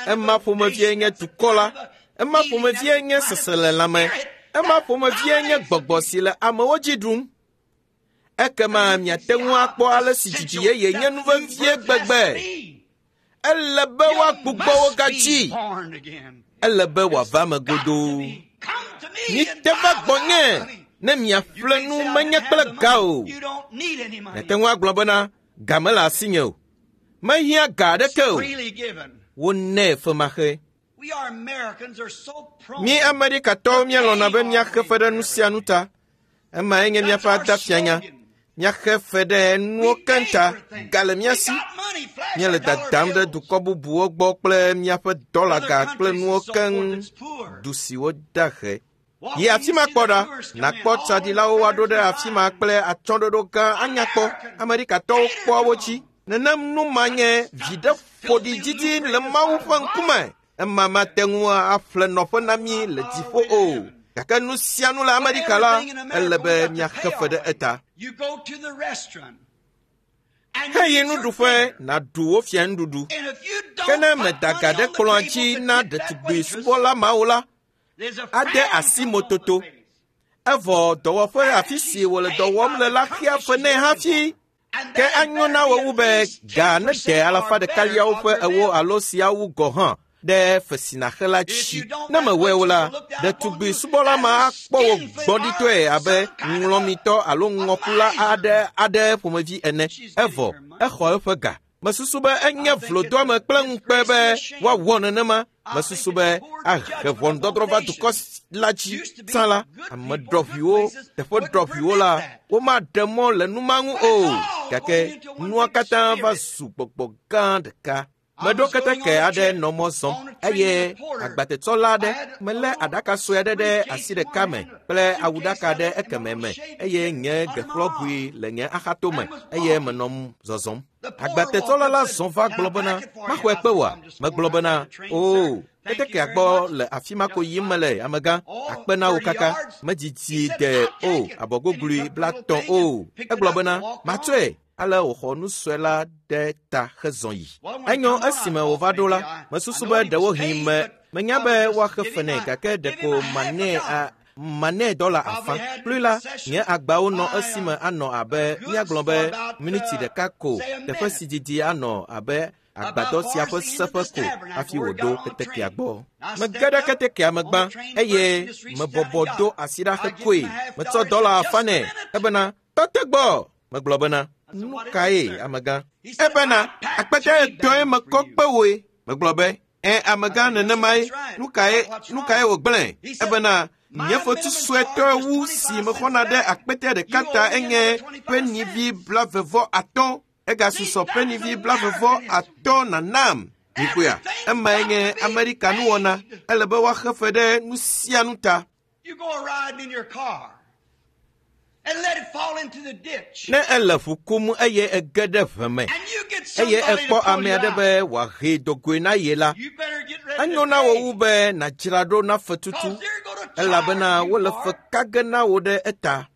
Ema ƒomevie nye dukɔ la, ema ƒomevie nye seselelãme, ema ƒomevie nye gbɔgbɔ si le amewo dzi ɖum. Ekema miate ŋu akpɔ ale si dzidzi yeye nye nu vevie gbegbe. Ele be woagbugbɔ wo gadzi. Ele be wòava me godoo. Mite va gbɔnye ne miaƒle nu menye kple ga o. Miate ŋu agblɔ bena ga mele asinye o. Mehiã ga aɖeke o. Wonɛ femaxe. Mí Amerikatɔwo míelɔ̃na be míaxe fe ɖe nu sia nu ta. Emae nye míaƒe adafianya. Míaxe fe ɖe nuwo keŋ ta. Ga le mía si. Míele dadam ɖe dukɔ bubuwo gbɔ kple míaƒe dɔlaga kple nuwo keŋ du siwo da he. Yi afi ma kpɔ ɖa, nàkpɔ tsaɖilawo woaɖo ɖe afi ma kple atsyɔ̃ɖoɖo gã anyakpɔ. Amerikatɔwo kpɔa wo dzi. Nenem nu ma nye viɖe ƒoɖi didi le Mawu ƒe ŋkume. Ema mate ŋu aƒle nɔƒe na mí le dziƒo o. Gake nu sia nu le Amerika la, ele be míaxe fe ɖe eta. Heyi nuɖuƒe nàɖu wo fia nuɖuɖu. Ke ne mèda ga ɖe kplɔ̃a dzi na ɖetugbi subɔla mawo la, ade asi mototo. Evɔ dɔwɔƒe afi si wòle dɔ wɔm le la xea fe nɛ hafi. Ke anyo na wò wu be ga nede alafa ɖekaliawo ƒe ewo alo siawo gɔ̃ hã ɖe fe si nàxe la dzi. Ne mewɔe o la, ɖetugbi subɔla ma akpɔ wò gbɔɖitɔe abe ŋlɔmitɔ alo ŋɔkula aɖe aɖe ƒomevi ene. Evɔ exɔ eƒe ga. Mesusu be enye vlodoame kple ŋukpe be woawɔ nenema. Mesusu be ahe ʋɔnudɔdrɔ̃ va dukɔ la dzi. Tsã la, ame ɖɔʋuiwo, teƒe ɖɔʋuiwo la, womaɖe mɔ le nu ma ŋu o. Gake nua katã va zu gbɔgbɔ gã ɖeka. Meɖo keteke aɖe nɔ mɔ zɔm eye agbatetsɔla aɖe melé aɖaka sue aɖe ɖe asi ɖeka me kple awuɖaka ɖe ekeme me eye nye geƒlɔgui le nye axatome eye menɔ zɔzɔm. Agbatetsɔla la zɔ va gblɔ bena, maxɔe kpe wòa? Megblɔ bena, oo, ketekea gbɔ le afi ma ko yim mele amegã, akpe na wo kaka, medzidzi de o abɔgoglui blatɔ̃ o. Egblɔ bena, matsɔe. Ale wòxɔ nu sue la ɖe ta hezɔ yi. Enyo esime wòva ɖo la, mesusu be ɖewohĩ me menya be woaxe fe nɛ gake ɖeko manɛ a manɛ dɔla afã. Kplui la, nye agbawo nɔ esime anɔ abe míagblɔ be miniti ɖeka ko teƒe si didi anɔ abe agbadɔ sia ƒe seƒe ko hafi wòɖo ketekea gbɔ. Mege ɖe ketekea me gbã eye mebɔbɔ do asi ɖa hekoe. Metsɔ dɔla afã nɛ ebena tɔ te gbɔ. Megblɔ bena, nu kae amegã? Ebena, akpete etɔ̃e mekɔ kpe woe. Megblɔ be, ẽ amegã nenemae, nu kae nu kae wògblẽ? Ebena, nye fetu suetɔe wu si mexɔna ɖe akpete ɖeka ta enye penivi blavevɔ atɔ̃. Egasusɔ penivi blavevɔ atɔ̃ nanam. Mikpɔea, emae nye Amerika nuwɔna. Ele be woaxe fe ɖe nu sia nu ta. Ne ele ʋu kum eye ege ɖe ʋe me eye ekpɔ ame aɖe be wòahee dogoe na ye la, enyo na wò wu be nàdzra ɖo na fetutu elabena wole fe ka ge na wò ɖe eta.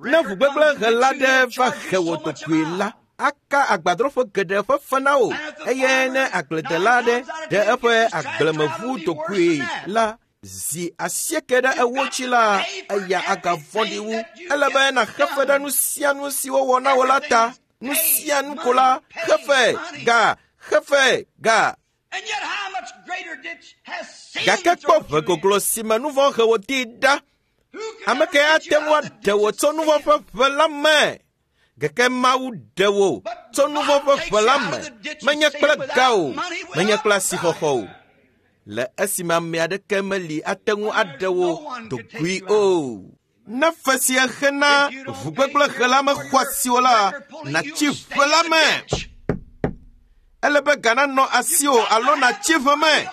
Ne ʋugbegblẽhela ɖe va he wò dogoe la, aka agbadrɔƒe geɖe ƒe fe na wò eye ne agbledela aɖe ɖe eƒe agblemeʋu dogoe la, zi asieke ɖe ewo dzi la, eya agavɔ̃ɖi wu. Ele be nàxe fe ɖe nu sia nu si wowɔ na wò la ta. Nu sia nu ko la, xe fe, ga, xe fe, ga. Gake kpɔ ʋe goglo si me nu vɔ̃ he wò di ɖa. Ame kae ate ŋu aɖe wò tso nu vɔ̃ ƒe ʋe la me? Gake Mawu ɖe wò tso nu vɔ̃ ƒe ʋe la me, menye kple ga o, menye kple asixɔxɔ o. Le esime ame aɖeke meli ate ŋu aɖe wò dogoe o. Ne fe si exe na ʋugbegblẽhela mexɔ asi o la, nàtsi ʋe la me. Ele be ga nanɔ asiwò alo nàtsi ʋe me.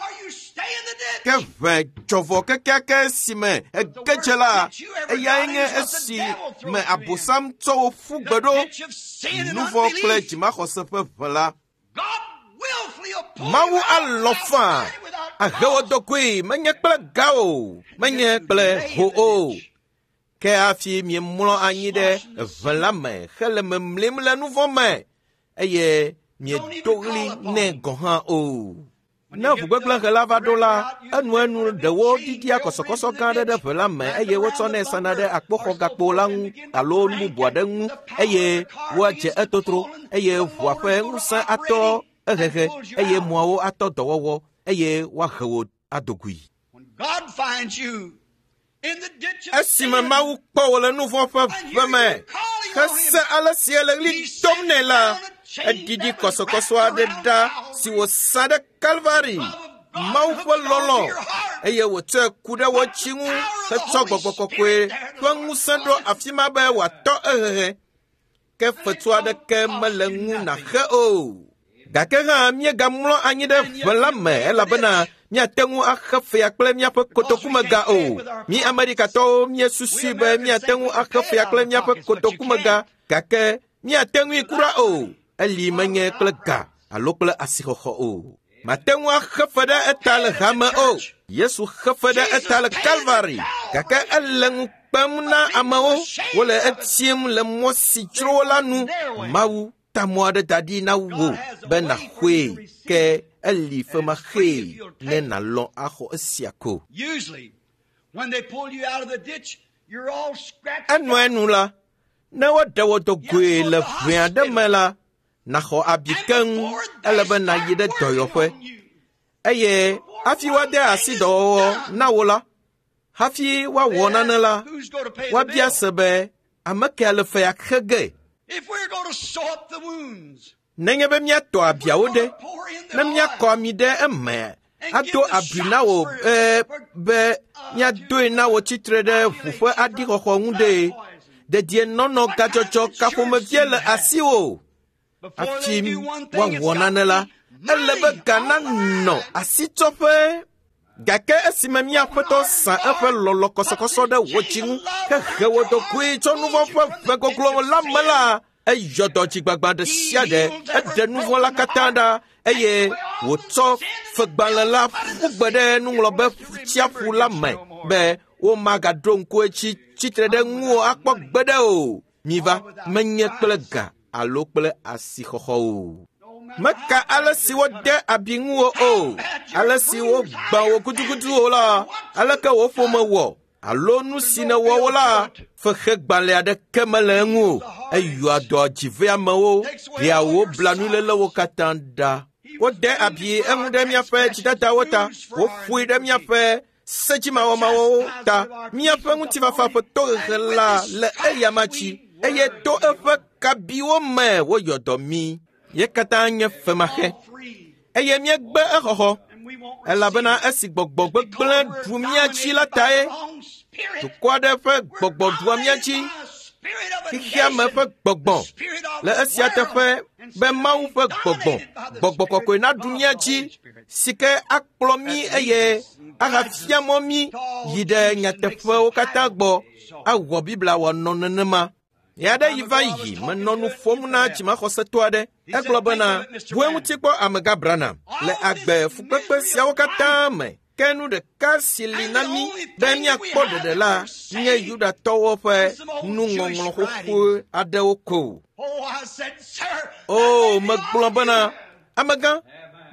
Ke ʋe dzɔvɔ kekeake si me ege dze la, eyae nye esi me Abosam tsɔ wò ƒu gbe ɖo, nu vɔ̃ kple dzimaxɔse ƒe ʋe la. Mawu alɔ̃ faa ahe wò dogoe menye kple ga o, menye kple ho o. Ke hafi miemlɔ anyi ɖe ʋe la me hele memlim le nu vɔ̃ me eye miedo ɣli nɛ gɔ̃ hã o. Ne ʋugbegblẽhe la va ɖo la, enuenu ɖewo ɖiɖia kɔsɔkɔsɔ gã aɖe ɖe ʋe la me eye wotsɔnɛ sana ɖe akpoxɔgakpo la ŋu alo nu bubu aɖe ŋu eye woadze etotro eye ʋua ƒe ŋusẽ atɔ ehehe eye mɔawo atɔ dɔwɔwɔ eye woahe wò adogoe. Esime Mawu kpɔ wò le nu vɔ̃ ƒe ʋe me hese ale si ele ɣli dom nɛ la, eɖiɖi kɔsɔkɔsɔ aɖe ɖa si wòsa ɖe Kalvari, Mawu ƒe lɔlɔ̃, eye wòtsɔe ku ɖe wò tsi ŋu hetsɔ gbɔgbɔ kɔkɔe ƒe ŋusẽ ɖo afi ma be wòatɔ ehehe. Ke fetu aɖeke mele ŋu nàxe o. Gake hã míegamlɔ anyi ɖe ʋe la me elabena míate ŋu axe fea kple míaƒe kotokumega o. Mí Amerikatɔwo míesusui be míate ŋu axe fea kple míaƒe kotokumega, gake míate ŋui kura o. Eli menye kple ga alo kple asixɔxɔ o. Mate ŋu axe fe ɖe eta le hame o. Yesu xe fe ɖe eta le Kalvari, gake ele ŋu kpem na amewo. Wole etim le mɔ si dzro wo la nu. Mawu ta mɔ aɖe da ɖi na wò be nàxɔe, ke eli femaxee ne nàlɔ̃ axɔ esia ko. Enuenu la, ne woɖe wò dogoe le ʋe aɖe me la, nàxɔ abi keŋ ele be nàyi ɖe dɔyɔƒe. Eye hafi woade asi dɔwɔwɔ na wò la, hafi woawɔ nane la, woabia se be ame kea le fea xe ge. Nenye be míatɔ abiawo ɖe, ne míakɔ ami ɖe eme, ado abi na wò be, be míadoe na wò tsitre ɖe ʋu ƒe aɖixɔxɔ ŋu ɖe, dedienɔnɔ gadzɔdzɔ kaƒomevie le asiwò. Hafi woawɔ nane la, ele be ga nanɔ asitsɔƒe. Gake esime mía Aƒetɔ sa eƒe lɔlɔ kɔsɔkɔsɔ ɖe wò dzi ŋu hehe wò ɖokoe tso nu vɔ̃ ƒe ʋe goglo la me la, eyɔ dɔ dzigbagba ɖe sia ɖe, eɖe nu vɔ̃ la katã ɖa eye wòtsɔ fegbalẽ la ƒu gbe ɖe nuŋlɔbe tsiaƒu la me be womagaɖo ŋku edzi tsitre ɖe ŋuwò akpɔ gbeɖe o. Miva, menye kple ga alo kple asixɔxɔ o. Meka ale si wode abi ŋuwò o, ale si wogbã wò gudugudu o la, aleke wò ƒome wɔ alo nu si nèwɔ wo la, fexegbalẽ aɖeke mele eŋu o. Eyɔa dɔ dziveamewo, ɖea wò blanuilélewo katã ɖa. Wode abi eŋu ɖe míaƒe dzidadawo ta, woƒoe ɖe míaƒe sedzimawɔmawɔwo ta. Míaƒe ŋutifafa ƒe tohehe la le eyama dzi, eye to eƒe kabiwo me woyɔ dɔ mí. Ye katã nye femaxe eye míegbe exɔxɔ, elabena esi gbɔgbɔ gbegblẽ ɖu mía dzi la tae. Dukɔ aɖe ƒe gbɔgbɔ ɖua mía dzi, xexeame ƒe gbɔgbɔ. Le esia teƒe be Mawu ƒe gbɔgbɔ, gbɔgbɔ kɔkɔe naɖu mía dzi, si ke akplɔ mí eye ahafia mɔ mí yi ɖe nyateƒewo katã gbɔ, awɔ Biblia wòanɔ nenema. Ya ɖe yi va yi menɔ nu ƒom na dzimaxɔsetɔ aɖe. Egblɔ bena, ʋu eŋuti kpɔ amegã Branham le agbe fukpekpe siawo katã me. Ke nu ɖeka si li na mí be míakpɔ ɖeɖe la nye Yudatɔwo ƒe nuŋɔŋlɔ xoxo aɖewo ko. O, megblɔ bena, amegã,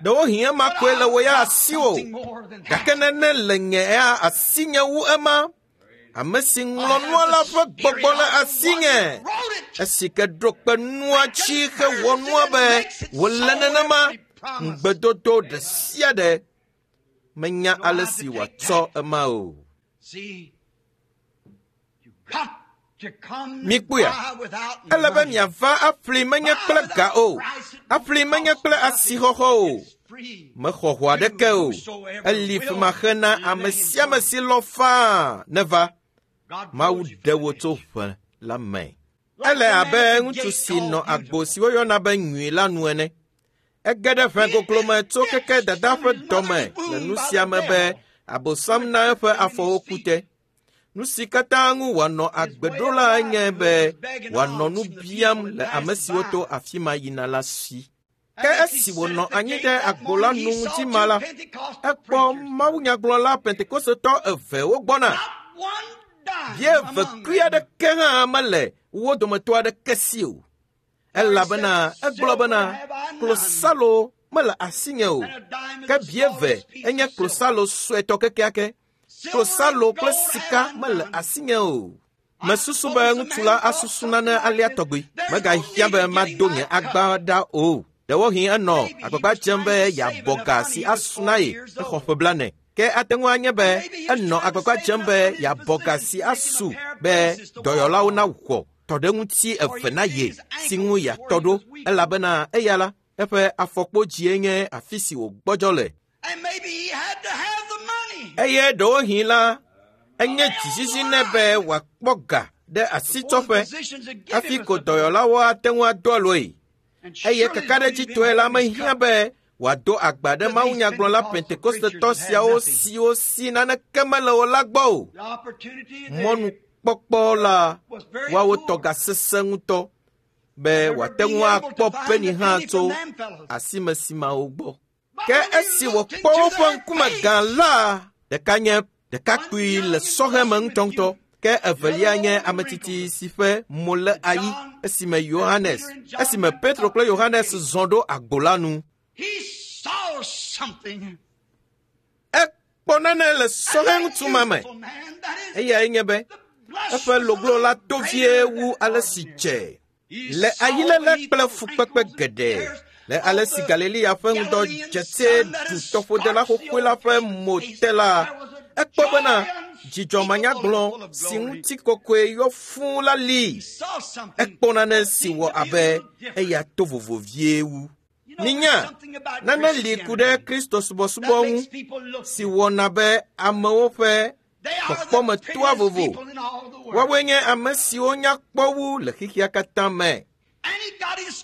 ɖewohĩ ema koe le wò ya asiwò, gake nane le nye ya asinye wu ema. Ame si ŋlɔ nua la ƒe gbɔgbɔ le asinye. Esi ke ɖo kpe nua dzi hewɔ nua be wòle nenema, ŋugbedodo ɖe sia ɖe menya ale si wòatsɔ ema o. Mikpɔea, ele be miava aƒli menye kple ga o, aƒli menye kple asixɔxɔ o. Mexɔ ho aɖeke o. Eli femaxe na ame sia ame si lɔ̃ faa neva. Mawu ɖe wò tso ʋe la me. Ele abe ŋutsu si nɔ agbo si woyɔna be nyui la nu ene. Ege ɖe ʋe goglo me tso keke dada ƒe dɔme le nu sia me be Abosam na eƒe afɔwo ku te. Nu si katã ŋu wòanɔ agbe ɖo la nye be wòanɔ nu biam le ame siwo to afi ma yina la si. Ke esi wònɔ anyi ɖe agbo la nu ŋuti ma la, ekpɔ mawunyagblɔla Pentekosetɔ eve wogbɔna. Bia eve kui aɖeke hã mele wo dometɔ aɖeke si o. Elabena egblɔ bena, klosalo mele asinye o. Ke bieve enye klosalo suetɔ kekeake. Klosalo kple sika mele asinye o. Mesusu be ŋutsu la asusu nane alea tɔgbi. Megahiã be mado nye agba ɖa o. Ɖewohĩ enɔ agbagba dzem be yeabɔ ga si asu na ye exɔ ƒe blane. Ke ate ŋu anye be enɔ agbagba dzem be yeabɔ ga si asu be dɔyɔlawo nawɔ tɔɖeŋuti eve na ye si ŋu yeatɔ ɖo elabena eya la eƒe afɔkpodzie nye afi si wògbɔdzɔ le. Eye ɖewohĩ la enye dzizizi nɛ be wòakpɔ ga ɖe asitsɔƒe hafi ko dɔyɔlawo ate ŋu ado aloe. Eye kakaɖedzitɔe la mehiã be wòado agba ɖe mawunyagblɔla Pentekostetɔ siawo siwo si naneke mele o la gbɔ o. Mɔnukpɔkpɔ la woawo tɔ gasesẽ ŋutɔ be wòate ŋu akpɔ peni hã tso asimesimawo gbɔ. Ke esi wòkpɔ woƒe ŋkume gã la, ɖeka nye ɖekakpui le sɔhɛme ŋutɔŋutɔ, ke evelia nye ametsitsi si ƒe mo le ayi esime Yohanes, esime Petro kple Yohanes zɔ ɖo agbo la nu. Ekpɔ nane le sɔhɛ ŋutsu ma me. Eyae nye be eƒe loglo la to vie wu ale si dze. Le ayiléle kple fukpekpe geɖe, le ale si Galilea ƒe ŋdɔ dzetse du tɔƒodela xoxoe la ƒe mo te la, ekpɔ bena dzidzɔ manyagblɔ si ŋutikɔkɔe yɔ fũu la li. Ekpɔ nane si wɔ abe eya to vovo vie wu. Minya, nane li ku ɖe Kristo subɔsubɔ ŋu si wɔna be amewo ƒe kpɔkpɔme toa vovo. Woawoe nye ame siwo nya kpɔ wu le xexea katã me.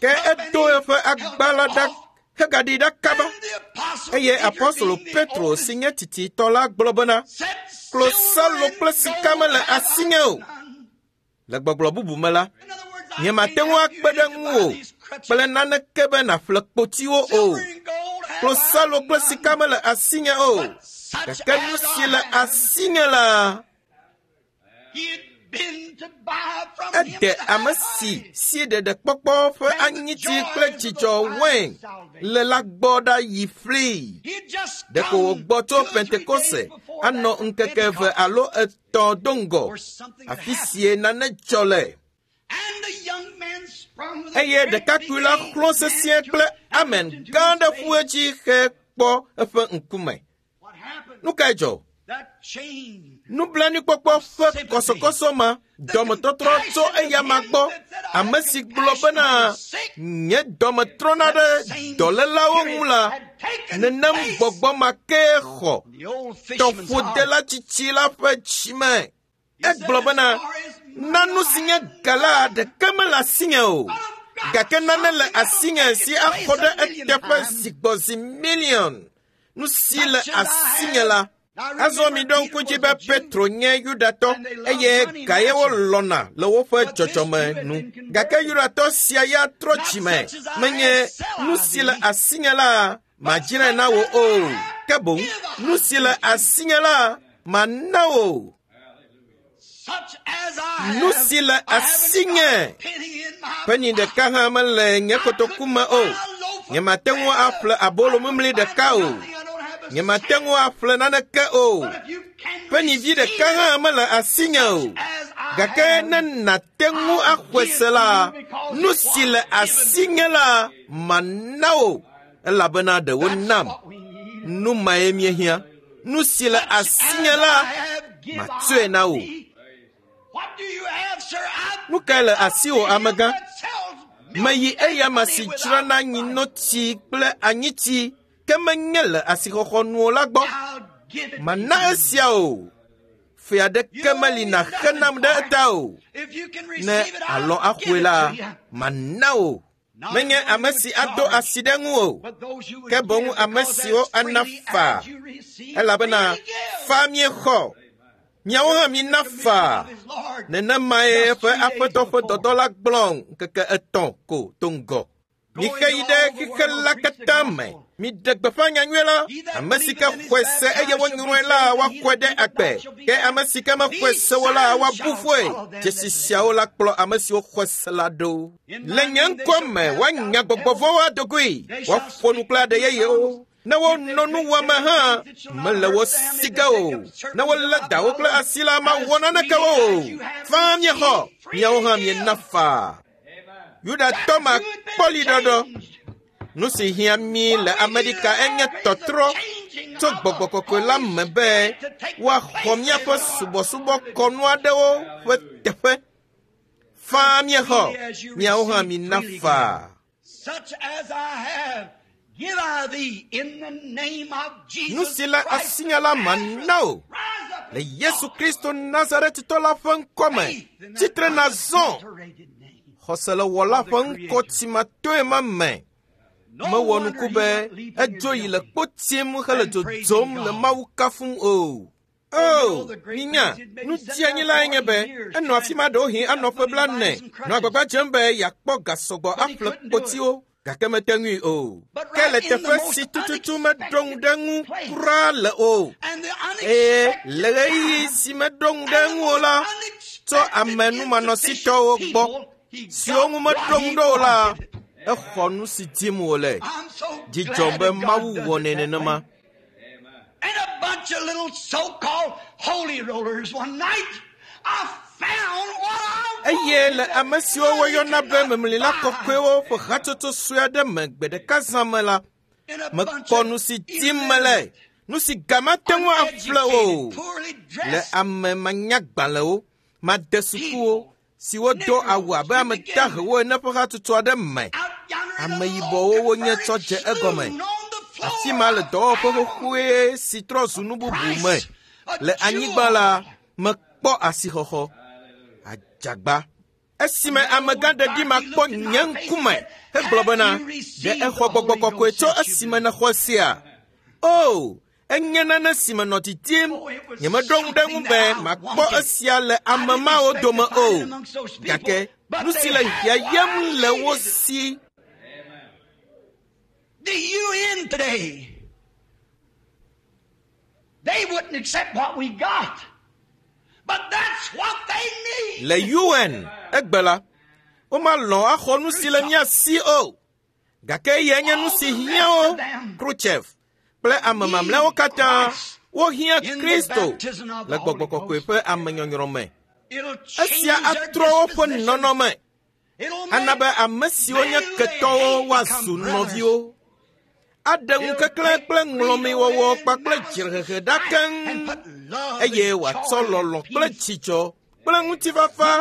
Ke edo eƒe agba la ɖa hegaɖi ɖa kaba. Eye apɔstolo Petro si nye tsitsitɔ la gblɔ bena, klosalo kple sika mele asinye o. Le gbɔgblɔ bubu me la, nyemate ŋu akpe ɖe ŋuwò kple naneke be nàƒle kpotiwo o. Klosalo kple sika mele asinye o. Gake nu si le asinye la, ede ame si si ɖeɖekpɔkpɔ ƒe anyitsi kple dzidzɔ wain le la gbɔ ɖa yi ƒli. Ɖeko wògbɔ tso Pentekoste anɔ ŋkeke eve alo etɔ̃ do ŋgɔ, afi sie nane dzɔ le. Eye ɖekakpui la xlɔ̃ sesĩe kple amen gã ɖe ƒu edzi hekpɔ eƒe ŋkume. Nu kae dzɔ? Nublanuikpɔkpɔ ƒe kɔsɔkɔsɔ ma dɔmetɔtrɔ tso eyama gbɔ, ame si gblɔ bena nye dɔme trɔna ɖe dɔlélawo ŋu la, nenem gbɔgbɔ ma kee xɔ tɔƒodela tsitsi la ƒe dzime. Egblɔ bena, na nu si nye ga la ɖeke mele asinye o, gake nane le asinye si axɔ ɖe eteƒe zi gbɔ zi miliɔn. Nu si le asinye la. Azɔ mi ɖo ŋku dzi be Petro nye Yudatɔ eye gaye wolɔ̃na le woƒe dzɔdzɔme nu. Gake Yudatɔ sia ya trɔ dzime. Menye nu si le asinye la madzrae na wò o, ke boŋ nu si le asinye la mana wò. Nu si le asinye penny ɖeka hã mele nye kotoku me o. Nyemate ŋu aƒle abolo mimli ɖeka o. Nyemate ŋu aƒle naneke o. Penny vi ɖeka hã mele asinye o. Gake ne nàte ŋu axɔe se la, nu si le asinye la mana wò, elabena ɖe wonam. Nu mae míehiã. Nu si le asinye la matsɔe na wò. Nu kae le asiwò, amegã? Meyi eyama si dzrana nyinotsi kple anyitsi, ke menye le asixɔxɔ nu o la gbɔ. Mana esia o. Fe aɖeke meli nàxe nam ɖe eta o. Ne alɔ axɔe la, mana wò. Menye ame si ado asi ɖe ŋu o, ke boŋ ame siwo ana faa, elabena faa míexɔ. Miawo hã mina faa. Nenemae eƒe aƒetɔ ƒe dɔdɔ la gblɔ ŋkeke etɔ̃ ko do ŋgɔ. Mixe yi ɖe xixe la katã me. Miɖe gbeƒã nyanyui la. Ame si ke xɔe se eye wonyrɔe la woaxɔe ɖe agbe. Ke ame si ke mexɔe se o la woabu fɔe. Dzesi siawo la kplɔ ame siwo xɔe se la ɖo. Le nye ŋkɔ me woanya gbɔgbɔ vɔ̃wo adogoe. Woaƒo nu kple aɖe yeyewo. Ne wonɔ nu wɔme hã mele wo si ge o. Ne wolé dawo kple asi la mawɔ naneke wo o. Faa miexɔ, miawo hã miena faa. Yudatɔ ma kpɔli ɖɔɖɔ. Nu si hiã mí le Amerika enye tɔtrɔ tso gbɔgbɔ kɔkɔe la me be woaxɔ míaƒe subɔsubɔkɔnu aɖewo ƒe teƒe. Faa miexɔ, miawo hã mina faa. Such as I have, give I thee in the name of Nu Jesus si le Christ. asinya la mana o. Rise up Le Yesu Kristo Nazaretitɔ la ƒe ŋkɔ me, faith in that tsitre nazɔ. unadulterated name. Xɔse le wɔla ƒe ŋkɔ tsimatoe ma me. No Mewɔ wonder nuku he be went leaping edzo and yi le jumping. kpo tim hele dzodzom le Mawu kafum o. O, minya, nu dzianyilae nye be enɔ afi ma ɖewohĩ anɔ ƒe blaene, nɔ agbagba dzem be yeakpɔ ga sɔgbɔ aƒle kpotiwo, gake mete ŋui o. Ke le teƒe si tututu meɖo ŋu ɖe ŋu kura le o. And the Eye unexpected le ɣeyiɣi si meɖo ŋu ɖe ŋu o la, tso ame numanɔsitɔwo gbɔ, siwo ŋu meɖo ŋu ɖo o la, exɔ nu si dim wòle. I'm so Dzi glad dzɔm be that God Mawu does wɔnɛ it that nenema. way. And a bunch of little so-called holy rollers one night, I found what I Eye le wanted. ame siwo woyɔna be memlila kɔkɔewo ƒe hatsotso sue aɖe me gbe ɖeka zã me la, In a bunch mekpɔ of nu si dim mele, nu si ga mate ŋu aƒle o. uneducated, poorly Le dressed ame manyagbalẽwo, madesukuwo, siwo do awu abe ame dahewo ene ƒe hatsotso aɖe me. out yonder in Ame the yibɔwo little wonye converted tsɔ dze egɔme. saloon on the floor. Afi ma le dɔwɔƒe xoxoe si trɔ zu nu bubu me. Le anyigba la, mekpɔ asixɔxɔ. Adzagba. Esime amegã ɖeɖi ma kpɔ nye ŋkume hegblɔ bena, ɖe exɔ gbɔgbɔ kɔkɔe tso esime nèxɔ sia? O, enye nane si menɔ didim. Nyemeɖo ŋu ɖe ŋu be makpɔ esia le ame mawo dome o. Gake nu si le hiãyem le wo si The U N today, they wouldn't accept what we got. But that's what they need. Le U N egbe la, womalɔ̃ axɔ nu si le mía si o. Gake eyae nye nu si hiã wo, Khrushchev kple ame mamlɛawo katã wohiã Kristo le gbɔgbɔ kɔkɔe ƒe amenyɔnyrɔ me. It'll change Esia their atrɔ woƒe disposition. nɔnɔme, It'll ana make be ame siwo nye ketɔwo woazu nɔviwo. Aɖe ŋukeklẽ kple ŋlɔmiwɔwɔ kpakple dzrehehe ɖa keŋ and put love eye and wòatsɔ joy and lɔlɔ̃ kple peace dzidzɔ kple ŋutifafa,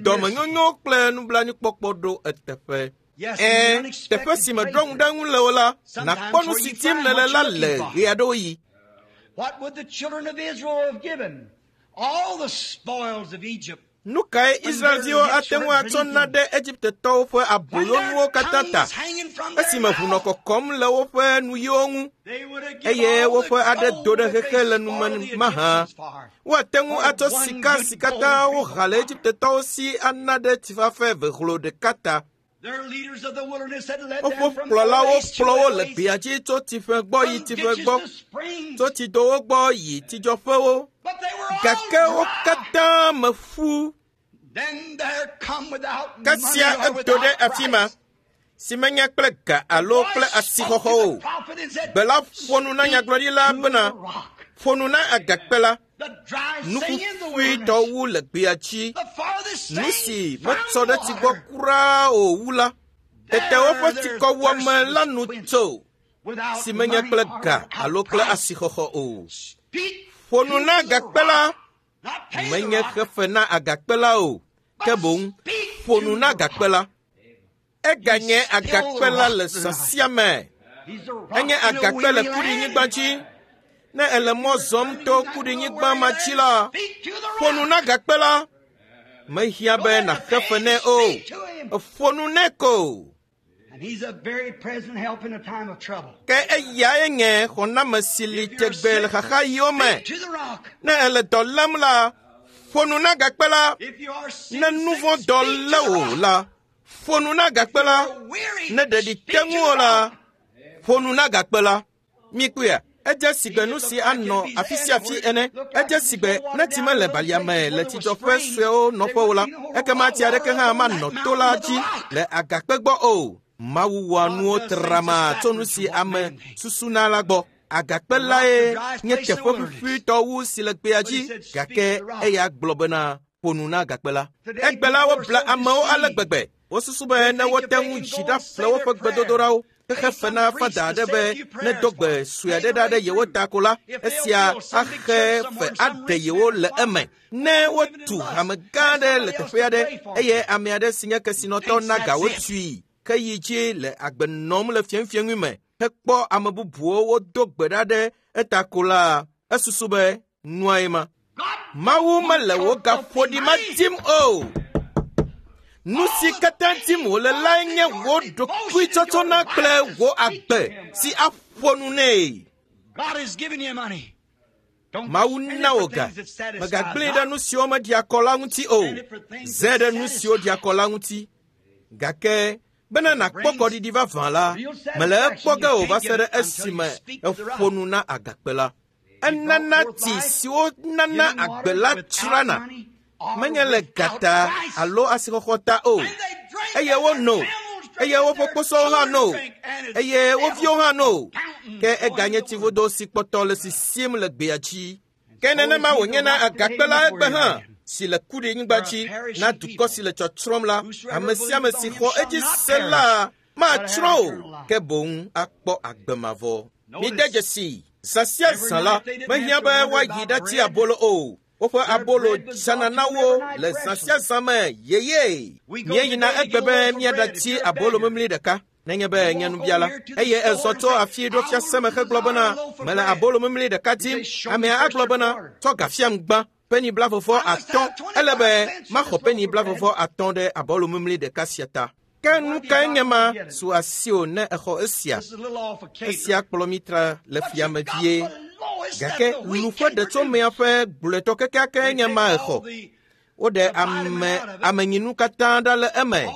dɔmenyonyo kple nublanuikpɔkpɔ ɖo eteƒe. Yes, in Ẽ, unexpected teƒe si meɖo ŋu ɖe ŋu le o la, nàkpɔ nu si dim nèle la le ɣeaɖewoɣi. What would the children of Israel have given? All the spoils of Egypt. Nu kae Israelviwo ate ŋu atsɔ na ɖe Egiptetɔwo ƒe When their aboyonuwo katã ta tongues hanging from their esime ʋu nɔ mouth, kɔkɔm le woƒe nuyiwo ŋu they would have given eye all the woƒe aɖe gold do ɖe that they xexe le spoiled nume the mahã. Egyptians for. Woate ŋu atsɔ sika si katã woha le Egiptetɔwo si ana ɖe tsifafa eve hlo ɖeka ta. Their leaders of the wilderness had led Woƒe them from kplɔlawo oasis to kplɔ wo le oasis, gbea dzi tso tsiƒe gbɔ yi from tsiƒe ditches gbɔ, to springs, tso tsidowo gbɔ yi tsidzɔƒewo. but they were all Gake wo dry. katã me ƒu. Then there come without Kasia money or edo ɖe without afi ma price. si menye kple ga alo kple asixɔxɔ o. Gbe la ƒo nu na nyagblɔɖila bena, ƒo nu na agakpe la, nu ƒuƒuitɔ wu le gbea dzi. Nu si metsɔ ɖe tsi gbɔ kura o wu la, tete woƒe tsikɔwuame la nu tso, si menye kple ga alo kple asixɔxɔ o. Ƒo nu na agakpe la, menye xefe na agakpe la o, ke boŋ ƒo nu na agakpe la. Eganye agakpe la le zã sia me. Enye agakpe le kuɖinyigba dzi. Ne ele mɔ zɔm to kuɖinyigba ma dzi la, ƒo nu na agakpe la. Mehiã be nàxe fe nɛ o. Ƒo nu nɛ ko. Ke eyae nye xɔname si li tegbe le xaxaɣiwo me. Ne ele dɔ lém la, ƒo nu na agakpe la. Ne nu vɔ̃ dɔ lé wò la, Ƒo nu na agakpe la. Ne ɖeɖi te ŋuwò la, ƒo nu na agakpe la. Mikpɔea? Edze sigbe nu si anɔ afi sia afi ene. Edze sigbe ne tsi mele balia me le tsidzɔƒe suewo nɔƒewo la, ekema tsi aɖeke hã manɔ to la dzi le agakpe gbɔ o. Mawu wɔa nuwo trama tso nu si ame susuna la gbɔ. Agakpe lae nye teƒe ƒuƒuitɔ wu si le gbea dzi, gake eya gblɔ bena ƒo nu na agakpe la. Egbe la wobla amewo ale gbegbe. Wosusu be ne wote ŋu dzi ɖaƒle woƒe gbedodoɖawo, xexe fe na fada aɖe be ne do gbe sue aɖe ɖa ɖe yewo ta ko la, esia axe fe aɖe yewo le eme. Ne wotu hame gã aɖe le teƒe aɖe eye ame aɖe si nye kesinɔtɔ na ga wotui ke yi dzi le agbe nɔm le fiẽfiẽŋui me hekpɔ ame bubuwo wodo gbe ɖa ɖe eta ko la, esusu be nuae ma. Mawu mele wò gaƒoɖi ma dim o. Nu si katã dim wòle lae nye wò ɖokuitsɔtsɔna kple wò agbe si aƒo nu nɛ. Mawu na wò ga. Mègagblẽe ɖe nu siwo meɖia kɔ la ŋuti o. Zẽ ɖe nu siwo ɖia kɔ la ŋuti. Gake bena nàkpɔ kɔɖiɖi vavã la, mele ekpɔ ge o va se ɖe esime eƒo nu na agakpe la. Enana tsi siwo nana agbe la tsrana. Menye le gata alo asixɔxɔ ta o. Eye wono, eye woƒe kposɔwo hã no, eye wo viwo hã no. Ke eganye tsivudo si kpɔtɔ le sisim le gbea dzi. Ke nenema wònye na agakpe la egbe hã si le kuɖinyigba dzi na dukɔ si le tsɔtsrɔ̃m la, ame sia ame si xɔ edzi se la matsrɔ̃ o, ke boŋ akpɔ agbe mavɔ. Mide dzesi, zã sia zã la, mehiã be woayi ɖatsi abolo o. Woƒe abolo dzana na wo le zã sia zã me yeye. Míeyina egbe be míaɖatsi abolo mimli ɖeka. Nenye be nye nubiala eye ezɔ tso afi ɖo fiase me hegblɔ bena mele abolo mimli ɖeka dim. Amea agblɔ bena tsɔ ga fiam gbã peni blavevɔ atɔ̃. Ele be maxɔ peni blavevɔ atɔ̃ ɖe abolo mimli ɖeka sia ta. Ke nu kae nye ma su asiwò ne exɔ esia? Esia kplɔ mi tra le fiame vie. Gake lu ƒe ɖetsomea ƒe gblɔetɔ kekeake nye ma exɔ. Woɖe ame amenyinu katã ɖa le eme.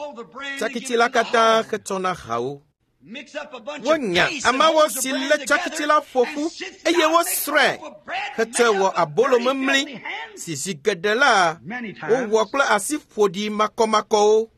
Tsakitsi la katã hetsɔ na hawo. Wonya ameawo si lé tsakitsi la ƒo ƒu eye wosrɔ̃e hetsɔe wɔ abolo memli si zi geɖe la wowɔ kple asi ƒoɖi makɔmakɔwo.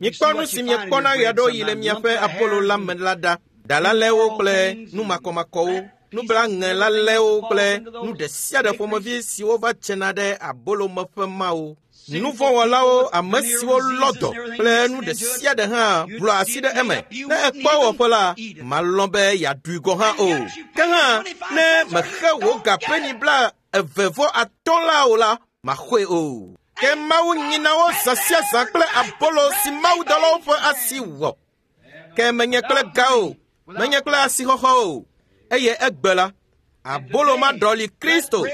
Mikpɔ nu si miekpɔna ɣeaɖewoɣi le miaƒe abolo la me la ɖa. Ɖalalɛwo kple nu makɔmakɔwo, nublaŋelalɛwo kple nu ɖe sia ɖe ƒomevi siwo va tsena ɖe abolomeƒe mawo. Nuvɔ̃wɔlawo, ame siwo lɔ dɔ kple nu ɖe sia ɖe hã blɔ asi ɖe eme. Ne ekpɔ wɔƒe la, malɔ̃ be yeaɖui gɔ̃ hã o. Ke hã ne mexe wò ga peni bla eve vɔ atɔ̃ la o la, maxɔe o. Ke Mawu nyina wo zã sia zã kple abolo si mawudɔlawo ƒe asi wɔ. Ke menye kple ga o, menye kple asixɔxɔ o. Eye egbe la, abolo ma ɖɔli Kristo,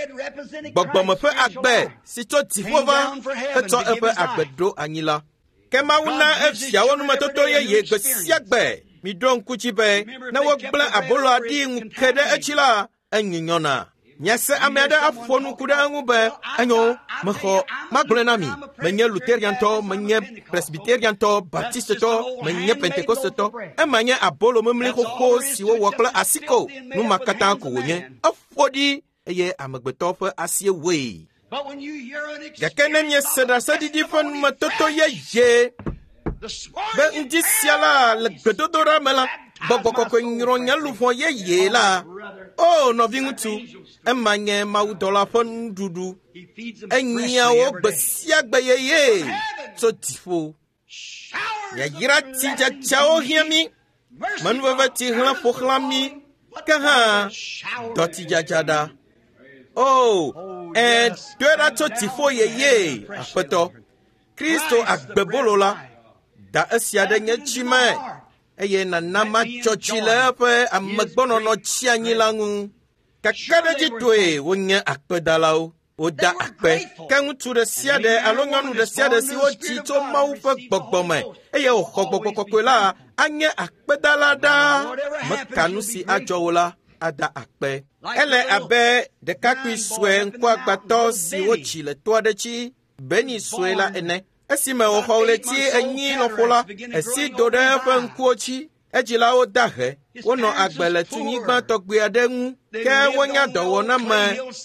gbɔgbɔme ƒe agbe si tso dziƒo va hetsɔ eƒe agbe ɖo anyi la. Ke Mawu na eviawo numetoto yeye gbe sia gbe. Miɖo ŋku dzi be ne wogblẽ aboloa ɖi ŋu ke ɖe edzi la, enyunyɔna. Miase ame aɖe aƒo nu ku ɖe eŋu be enyo mexɔ magblɔe na mi. Menye Lutheriantɔ, menye Presbyteriantɔ, Baptistetɔ, menye Pentecostetɔ. Ema nye abolo mimli xoxo si wowɔ kple asi ko. Nu ma katã ko wònye. Eƒo ɖi eye amegbetɔ ƒe asie wɔe. Gake ne miese ɖaseɖiɖi ƒe numetoto yeye be ŋdi sia la le gbedodoɖa me la, gbɔgbɔ kɔkɔe nyrɔ nye luʋɔ yeye la. O nɔviŋutsu, ema nye mawudɔla ƒe nuɖuɖu. Enyia wo gbe sia gbe yeye tso dziƒo. Yayra tsidzadzawo hiã mí, menuveve tsi hlẽ ƒo xlã mí, ke hã dɔ tsidzadza ɖa. O, ẽ, doe ɖa tso dziƒo yeye, Aƒetɔ. Kristo agbebolo la, da esia ɖe nye dzi me eye nana matsɔ tsi le eƒe amegbɔnɔnɔ tsi anyi la ŋu. Kakaɖedzitɔe wonye akpedalawo. Woda akpe. Ke ŋutsu ɖe sia ɖe alo nyɔnu ɖe sia ɖe si wodzi tso Mawu ƒe gbɔgbɔ me eye wòxɔ gbɔgbɔ kɔkɔe la anye akpedala ɖaa. Meka nu si adzɔ wo la ada akpe. Ele abe ɖekakpui sue ŋkuagbãtɔ si wotsi le to aɖe dzi, Beni sue la ene. Esime wòxɔ ɣleti enyi lɔƒo la, esi do ɖe eƒe ŋkuwo dzi. Edzilawo da he. Wonɔ agbe le tunyigba tɔgbi aɖe ŋu ke wonya dɔwɔname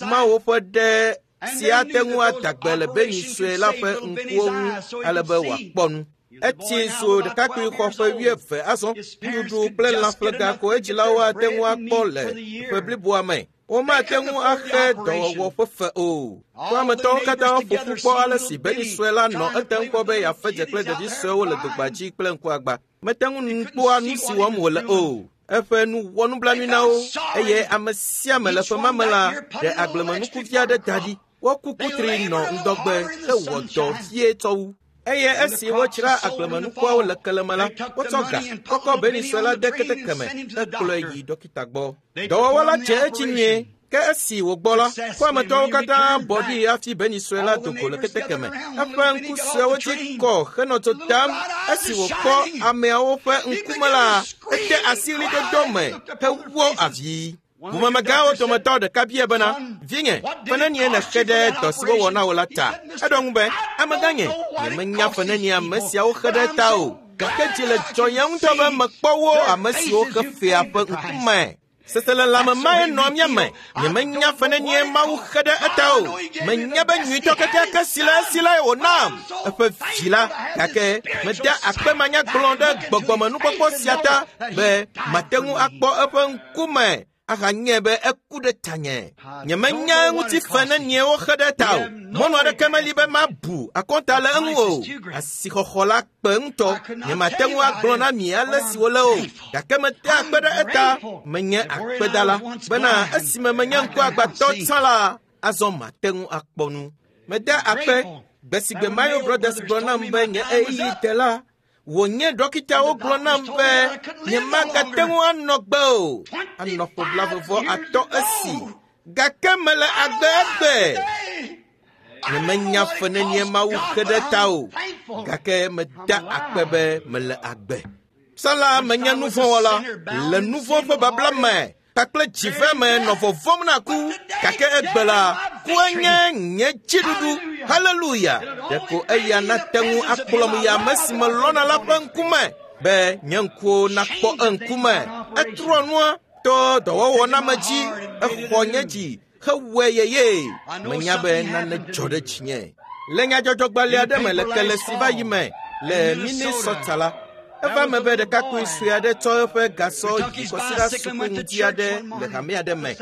mawo ƒe ɖe si ate ŋu ada gbe le Benny sue la ƒe ŋkuwo ŋu ale be wòakpɔ nu. Etsi zu ɖekakpui xɔ ƒe wuieve azɔ. Nuɖuɖu kple lãƒlega ko edzilawo ate ŋu akpɔ le ƒe bliboa me. Womate ŋu axe dɔwɔwɔ ƒe fe o. Kɔametɔwo katã ƒo ƒu kpɔ ale si Benny sue la nɔ etem kpɔ be yeafe dze kple ɖevi suewo le dogba dzi kple ŋkuagba. Mete ŋu kpɔa nu si wɔm wòle o. Eƒe nu wɔ nublanui na wo eye ame sia ame le ƒe ma me la ɖe agblemenukuvi aɖe da ɖi. Woku kutri nɔ ŋdɔgbe hewɔ dɔ vie tsɔ wu. Eye esi wodzra agblemenukuawo le keleme la, wotsɔ ga kɔkɔ Benny sue la de keteke me hekplɔe yi dɔkita gbɔ. Dɔwɔwɔ la dze edzi nyuie. Ke esi wògbɔ la, kɔametɔwo katã bɔ ɖi hafi Benny sue la do go le keteke me. Eƒe ŋku suewo dzi kɔ henɔ dzo dam. Esi wòkpɔ ameawo ƒe ŋkume la, ete asi ɣlidodo me hewɔ avi. Ʋumemegãwo dometɔ ɖeka bia bena, vinye, fe nenie nèxe ɖe dɔ si wowɔ na wò la ta? Eɖo ŋu be, amegãnye, nyemenya fe nenie ame siawo xe ɖe ta o. Gake dzi le dzɔnye ŋutɔ be mekpɔ wo ame siwo xe fea ƒe ŋkume. Seselelãme mae nɔa mía me. Nyemenya fe nenie Mawu xe ɖe eta o. Menya be nyuitɔ kekeake si le esi lae wònam eƒe vi la. Gake meda akpe manyagblɔ ɖe gbɔgbɔmenukpɔkpɔ sia ta be mate ŋu akpɔ eƒe ŋkume ahanye be eku ɖe tanye. Nyemenya eŋuti fe nenie woxe ɖe ta o. Mɔnu aɖeke meli be mabu akɔnta le eŋu o. Asixɔxɔ la kpe ŋutɔ. Nyemate ŋu agblɔ na mi ale si wòle o. Gake mete akpe ɖe eta. Menye akpedala bena esime menye ŋkuagbatɔ tsã la, azɔ mate ŋu akpɔ nu. Mede akpe gbe si gbe Mayo Brothers gblɔ nam be nye ɣeyiɣi te la, wònye dɔkitawo gblɔ nam be nyemagate ŋu anɔ gbe o. Anɔ ƒe blaeve atɔ̃ esi. Gake mele agbe egbe. Nyemenya fe nenie Mawu xe ɖe ta o. Gake meda akpe be mele agbe. Tsã la menye nuvɔ̃wɔla le nuvɔ̃ ƒe babla me kpakple dzive me nɔ vɔvɔ̃m na ku. Gake egbe la, kue nye nye dziɖuɖu. Haleluya! Ɖeko eya nate ŋu akplɔm yi ame si melɔ̃na la ƒe ŋkume be nye ŋkuwo nakpɔ eŋkume. Etrɔ nua to dɔwɔwɔ na me dzi. Exɔ nye dzi hewɔe yeye. Menya be nane dzɔ ɖe dzinye. Le nyadzɔdzɔgbalẽ aɖe me le kele si va yi me le Minnesota la, eva me be ɖekakpui sue aɖe tsɔ eƒe gasɔ yi kɔsiɖa suku ŋuti aɖe le hame aɖe me.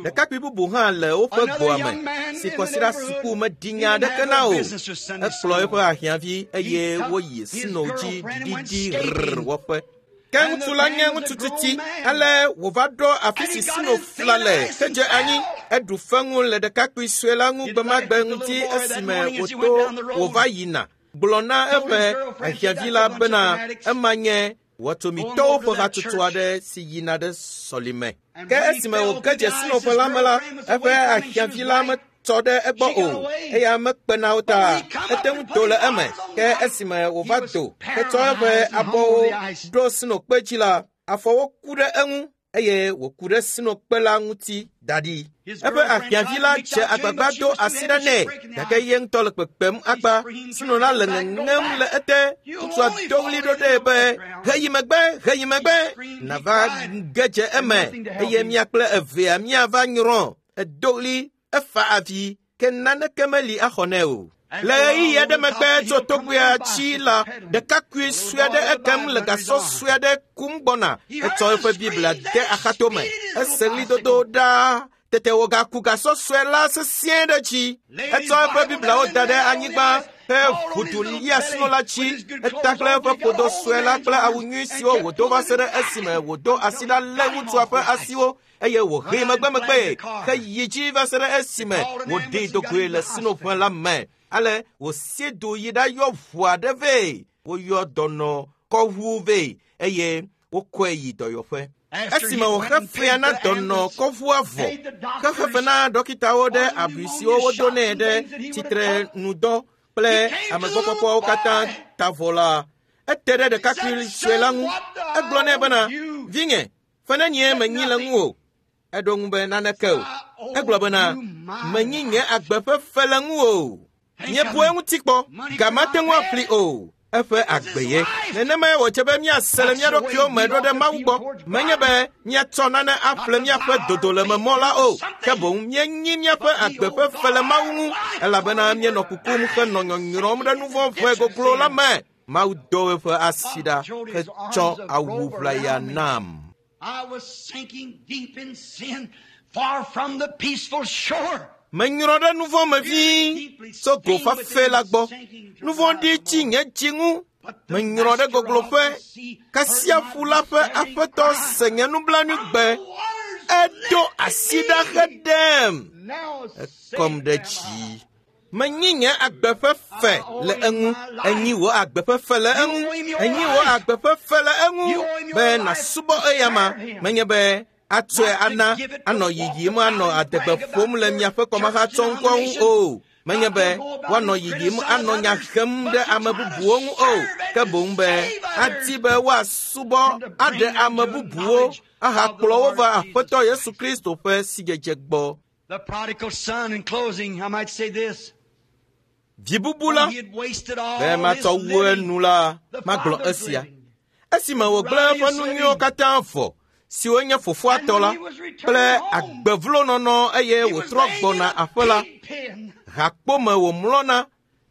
Ɖekakpui bubu hã le woƒe gbɔa me si kɔsiɖa suku meɖi nya aɖeke na o. Ekplɔ eƒe ahiãvi eye woyi snow dzi ɖiɖiɖi rrr wɔƒe. Ke ŋutsu la nye ŋutsu tsitsi ale wòva ɖo afi si snow fla le hedze anyi. Eɖu feŋu le ɖekakpui sue la ŋu gbemagbe ŋuti esime wòto wòva yina. Gblɔ na eƒe ahiãvi la bena ema nye wɔtomitɔwo ƒe hatsotso aɖe si yina ɖe sɔlime. Ke esime wòge dze snow la me la, eƒe ahiãvi la metsɔ ɖe egbɔ o eya mekpe na wo ta ete ŋu do le eme. Ke esime wòva do hetsɔ eƒe abɔwo ɖo snowkpe dzi la, afɔwo ku ɖe eŋu eye wòku ɖe snowkpe la ŋuti da ɖi. Eƒe ahiãvi la dze agbagba do asi ɖa nɛ gake ye ŋutɔ le kpekpem akpa. Snow la le ŋeŋem le ete. Ŋutsua do ɣli ɖo ɖee be heyi megbe, heyi megbe, nava ge dze eme eye mia kple evea miava nyrɔ. Edo ɣli, efa avi ke naneke meli axɔ nɛ o. Le ɣeyiɣi aɖe megbe tso togbea tsi la, ɖekakpui sue aɖe ekem le gasɔ sue aɖe kum gbɔna. Etsɔ eƒe Biblia de axatome. Ese ɣlidodo ɖaa. Tete wògaku gasɔ sue la sesĩe ɖe dzi. Etsɔ eƒe Bibliawo da ɖe anyigba he ʋudu lia sno la dzi. Eta kple eƒe ƒodo sue la kple awu nyui siwo wòdo va se ɖe esime wòdo asi ɖa lé ŋutsua ƒe asiwo eye wòhee megbemegbe heyi dzi va se ɖe esime wòɖee do goe le snoƒe la me. Ale wòsie do yi ɖayɔ ʋu aɖe vɛ. Woyɔ dɔnɔ kɔʋu vɛ eye wokɔe yi dɔyɔƒe. Esime wòxe fea na dɔnɔ kɔʋua vɔ, hexe fe na dɔkitawo ɖe abui siwo wodo nɛ ɖe tsitrenudɔ kple amegbɔkpɔkpɔwo katã ta vɔ la, ete ɖe ɖekakpui sue la ŋu. Egblɔ nɛ bena, vinye, fe nenie menyi le ŋuwò? Eɖo ŋu be naneke o. Egblɔ bena, menyi nye agbe ƒe fe le ŋuwò. Míebu eŋuti kpɔ, ga mate ŋu aƒli o. Eƒe agbe ye. Nenemae wòdze be míase le mía ɖokuiwo me ɖo ɖe Mawu gbɔ. Menye be míatsɔ nane aƒle míaƒe dodolememɔ la o, ke boŋ míenyi míaƒe agbe ƒe fe le Mawu ŋu, elabena míenɔ kukum henɔ nyɔnyrɔm ɖe nu vɔ̃ ʋe goglo la me. Mawu do eƒe asi ɖa hetsɔ awu ʋlaya nam. I was sinking deep in sin, far from the peaceful shore. Menyrɔ ɖe nu vɔ̃ me vĩi tso go fafɛ la gbɔ. Nu vɔ̃ ɖi tsi nye dzi ŋu. Menyrɔ ɖe gogloƒe. Kasia ƒu la ƒe aƒetɔ se nye nublanuigbe. Edo asi ɖa heɖem. Ekɔm ɖe dzi. Menyi nye agbe ƒe fe le eŋu. Enyi wò agbe ƒe fe le eŋu. Enyi wò agbe ƒe fe le eŋu be nàsubɔ eyama. Menye be atsɔe ana anɔ yiyim anɔ adegbe ƒom le miaƒe kɔmahatsɔŋkɔ ŋu o. Menye be woanɔ yiyim anɔ nya hem ɖe ame bubuwo ŋu o, ke boŋ be adi be woasubɔ aɖe ame bubuwo ahakplɔ wo va Aƒetɔ Yesu Kristo ƒe sidzedze gbɔ. The prodigal son, in closing, I might say this. Vi bubu la, When he had wasted all be matsɔ his wu living, enu la, the magblɔ father's esia. living. Esime wògblẽ eƒe nu nyuiwo katã vɔ, siwo nye fofoa tɔ la, kple agbevlonɔnɔ eye He was wòtrɔ laying in gbɔna a aƒe la, pig pen. hakpome wòmlɔna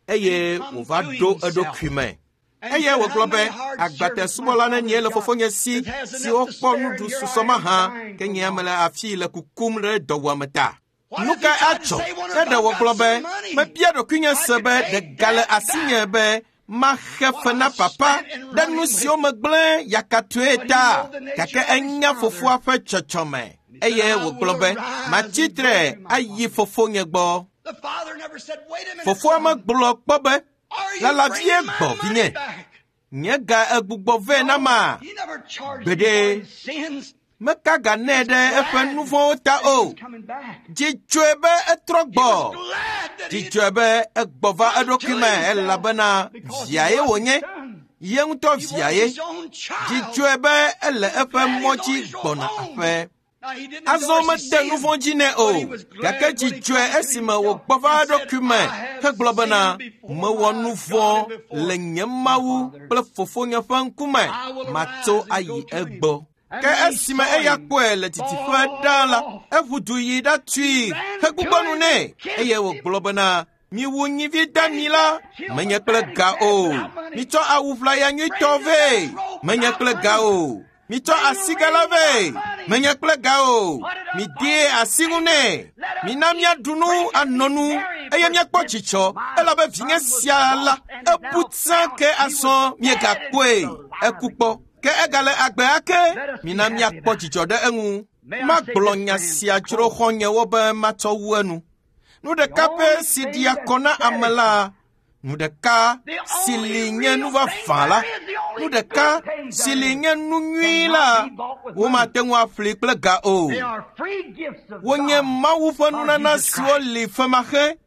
eye wòva ɖo eɖokui me. And Eye he said, wògblɔ "How be many hard agbatɛ servants subɔla my nenie le father fofonye si got that has siwo enough to kpɔ spare, nuɖu and here susɔ I am mahã dying ke for nye want." mele afii le kukum ɖe dɔwuame ta. What Nu if he kae tried to atsɔ? say, "Wonder Ne if ɖe I've wògblɔ got be some money? mebia ɖokuinye I se could be pay ɖe ga le that asinye back." be maxe What fe na I papa spent in ɖe running nu with siwo megblẽ yakatɔe But he ta. know the nature Gake of his enya father. fofoa ƒe tsɔtsɔme He said, eye "I wògblɔ will be arise matsi and go tre to my ayi father." fofonye gbɔ. The father never said, "Wait a minute, Fofoa son. megblɔ kpɔ be Are you lala vie bringing my gbɔ money vinye. back?" Nye ga egbugbɔ vɛ na ma. He never charged him Gbeɖe. for his sins. Meka ga nɛ ɖe eƒe nu vɔ̃wo ta That he o. was coming back. Dzi dzɔe be etrɔ He gbɔ. was glad that he Dzi dzɔe be egbɔ va had come eɖokui to me himself elabena because he viae was wònye. his son. Ye ŋutɔ He was viae. his own Dzi child. dzɔe be ele eƒe Glad mɔ he's on dzi his road gbɔna home. aƒe. Now, he didn't Azɔ endorse his mede nu sin, vɔ̃ dzi nɛ but he o, was glad gake when dzi he dzɔe come to esime himself wògbɔ va and said, eɖokui me "I have hegblɔ bena sinned before mewɔ my nu God vɔ̃ and before le nye my Mawu Father. kple fofonye ƒe ŋkume, I will matso arise and ayi go to him." egbɔ. And Ke when he esime saw eya him kpɔe le didiƒe ɖaa la, fall off, eʋu du yi ɖatui ran hegbugbɔ to nu him nɛ and kissed eye him. wògblɔ bena miwu nyivi dami la, menye kple ga o. Mitsɔ awu ʋlaya nyuitɔ vɛ, menye kple ga o. Mitsɔ asiga la vɛ, menye kple ga o. Midee asi ŋu nɛ. Mina míaɖu nu anɔ nu eye míakpɔ dzidzɔ elabe vinye sia la ebu tsã ke azɔ miegakpɔe. Eku kpɔ ke egale agbe ake. Mina míakpɔ dzidzɔ ɖe eŋu. Magblɔ nya sia dzro xɔ̃nyewo be matsɔ wu enu. Nu ɖeka pɛ si ɖia kɔ na ame la, nu ɖeka si li nye nu vavã la, nu ɖeka si li nye nu nyui la, womate ŋu aƒli kple ga o. They are free gifts of Wonye God Mawu ƒe by nunana Jesus siwo Christ. li femaxe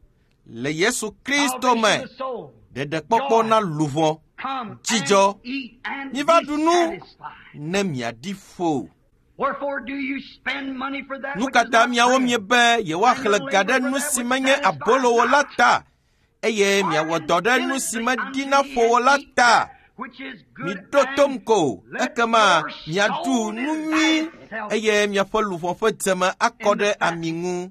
le Yesu Kristo me. Salvation of the soul. Ɖeɖekpɔkpɔ na luʋɔ. Come Dzidzɔ. and eat and Miva be ɖu nu satisfied. ne miaɖi ƒo. Wherefore do you spend money for that Nu which ka is ta not miawo bread? miebe yewoaxlẽ ga ɖe nu si menye abolo la ta eye miawɔ dɔ ɖe nu si meɖina ƒo o la ta? Which is good Miɖo tom and ko, let ekema your miaɖu soul nu nyui delight itself. eye miaƒe luʋɔ ƒe dzeme akɔ ɖe ami ŋu.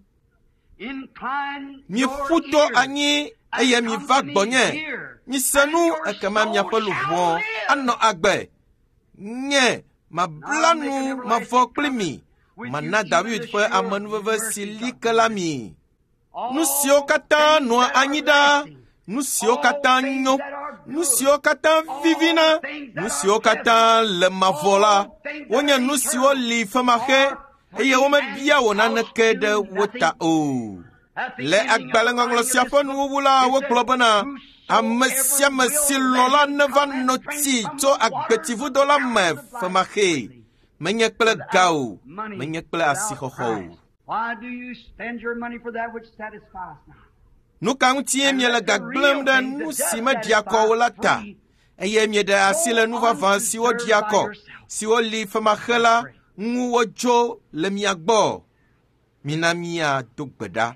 Incline your Miƒu to ears anyi eye and miva come to me gbɔnye. here, Mise and nu your ekema soul miaƒe shall luʋɔ live. anɔ agbe. Nye mabla nu mavɔ kpli mi. Mana David ƒe amenuveve si li ke la mi. Nu siwo katã nɔa anyi ɖaa, nu siwo katã nyo, nu siwo katã vivina, nu siwo katã le mavɔ la, wonye nu siwo li femaxe eye womebia wò naneke ɖe wo ta o. Le agbalẽŋɔŋlɔ sia ƒe nuwuwu la, wogblɔ bena ame sia ame si lɔ̃ la neva no tsi tso agbetsivudo la me femaxee. Menye kple ga o, menye kple asixɔxɔ o. Why do you spend your money for that which satisfies not? Nu ka ŋutie miele ga gblẽm ɖe nu si meɖia kɔ o la ta? Eye mieɖe asi le nu vavã siwo ɖia kɔ, siwo li femaxe la ŋu wodzo le mia gbɔ. Mina míado gbe ɖa.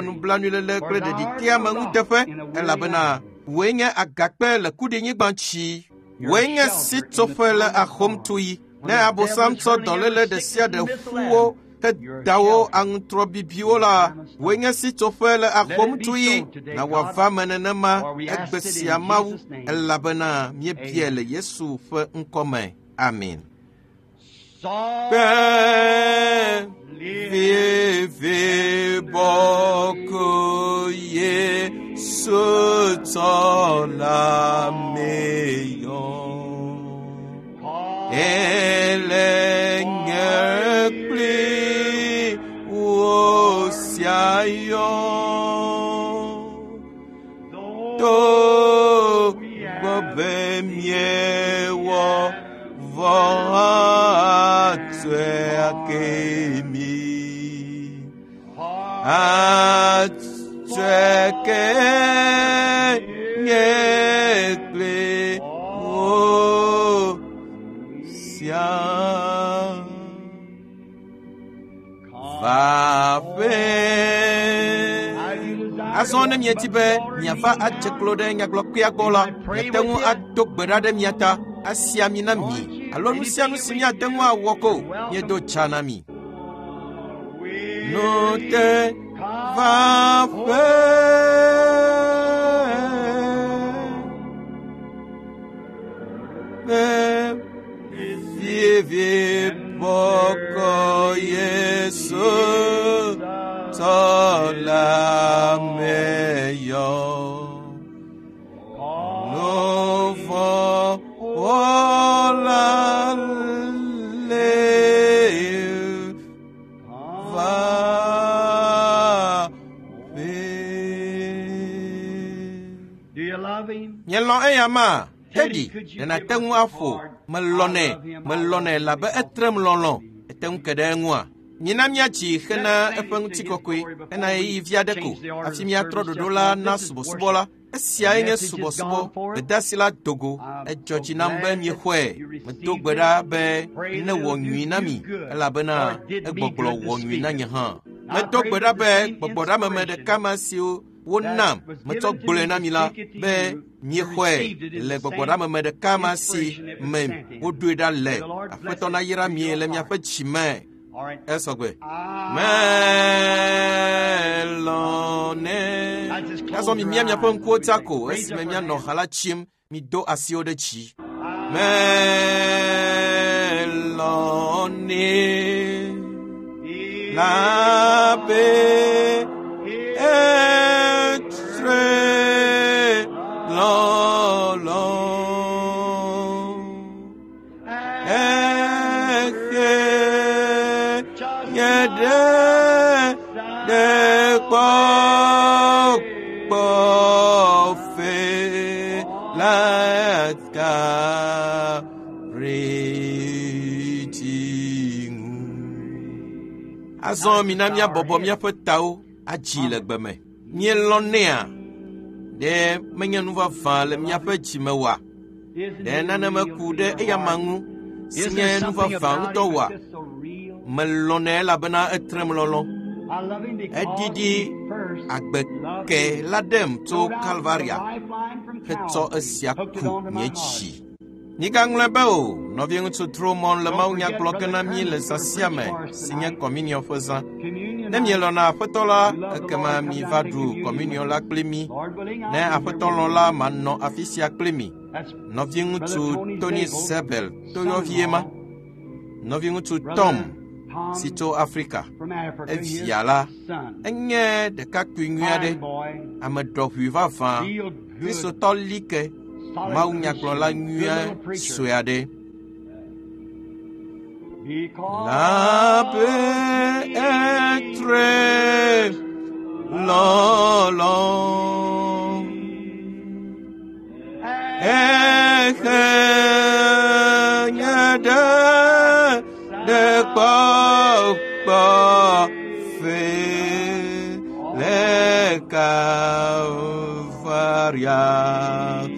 ƒe nublanuiléle kple ɖeɖiteame ŋuteƒe elabena wòe nye agakpe le kuɖinyigba tsi wòe nye sitsoƒe le ahomtuyi ne abosam tsɔ dɔléle ɖe sia ɖe ƒu wo ke dawo aŋutrɔ bibiwo la wòe nye sitsoƒe le ahomtuyi na wòava me nenema egbe sia mawu elabena míebia le yesu ƒe ŋkɔ me amen. Kpe vivi bɔkɔ Yesu tɔ la meyɔ. Ele Atseke nye kple wo sia. Va ƒe. Azɔ ne mieti be miava adze klo ɖe nyagblɔkpea gbɔ la, miate ŋu ado gbe ɖa ɖe mia ta, asi ami na mi, alo nu sia nu si miate ŋu awɔ ko, miedo tsa na mi. Nu te va ƒe. Be vivi bɔkɔ Yesu tɔ la me yɔ. Nu vɔ̃ wɔla le va ƒe. Do you love him? Mielɔ̃ eya ma? Teddy, ɖe nàte ŋu aƒo. Melɔ̃nɛ, melɔ̃nɛ labe etrem lɔlɔ̃. Ete ŋu ke ɖe eŋua? Mina míatsi hena eƒe ŋutikɔkɔe, hena ɣeyiɣi vi aɖe ko, hafi míatrɔ ɖoɖo la na subɔsubɔ la. Esiae nye subɔsubɔ. Gbedeasi la do go. Edzɔ dzi nam be miexɔe. Medo gbe ɖa be newɔ nyui na mi, elabena egbɔgblɔ wɔ nyui na nye hã. Medo gbe ɖa be gbɔgbɔɖameme ɖeka ma siwo wonam metsɔ gblɔe na mi la be miexɔe le gbɔgbɔɖameme ɖeka ma si me woɖoe ɖa le. Aƒetɔ nayra mi le miaƒe dzi me. Esɔgbe. Melɔ̃nɛ. Azɔ mimia miaƒe ŋkuwo ta ko esime mianɔ ha la tsim, mido asiwo ɖe dzi. Melɔ̃nɛ labe etre lɔlɔ̃. Ehe nye ɖe ɖe kpɔkpɔ fe la ka reti ŋu. Azɔ mina míabɔbɔ míaƒe tawo adzi le gbe me. Míelɔ̃nɛa? Ɖe menye nu vavã le míaƒe dzime oa? Ɖe nane meku ɖe eyama ŋu si Isn't nye there nu something vavã about ŋutɔ him oa? that's just so real? Melɔ̃nɛ elabena etrem lɔlɔ̃. I love him because Eɖiɖi he first agbe loved ke me. la ɖem tso Rode out the Kalvaria lifeline from hetsɔ Calvary, esia hooked it ku onto my nye heart. dzi. Migaŋlɔe be o, nɔviŋutsu Drummond le Don't mawunya forget gblɔ ge Brother na mí le Kermit's zã gonna sia preach me for us si nye tonight. kɔminiɔ ƒe zã. Communion Ne night. mielɔ̃na Aƒetɔ la, We love the ekema Lord. Come miva down and take ɖu communion kɔminiɔ with la us. kpli mí. Lord willing, I'll Ne be here Aƒetɔ with lɔ̃ you. la, manɔ afi sia kpli mi. That's Brother Nɔviŋutsu Tony Tony Zabel, Sebel toyɔvie ma. son-in-law, Nɔviŋutsu Brother Tom Tom si tso Afrika. from Africa, his Evia la, son. enye ɖekakpui nyui aɖe, Fine boy, ame ɖɔʋui vavã, feel good, Kristotɔ like, solid mawunyagblɔla Christian, good nyui little preacher. sue aɖe. Because Labe he etre lɔlɔ̃. Ehe nye ɖe ɖe kpɔkpɔ fe le Kalvaria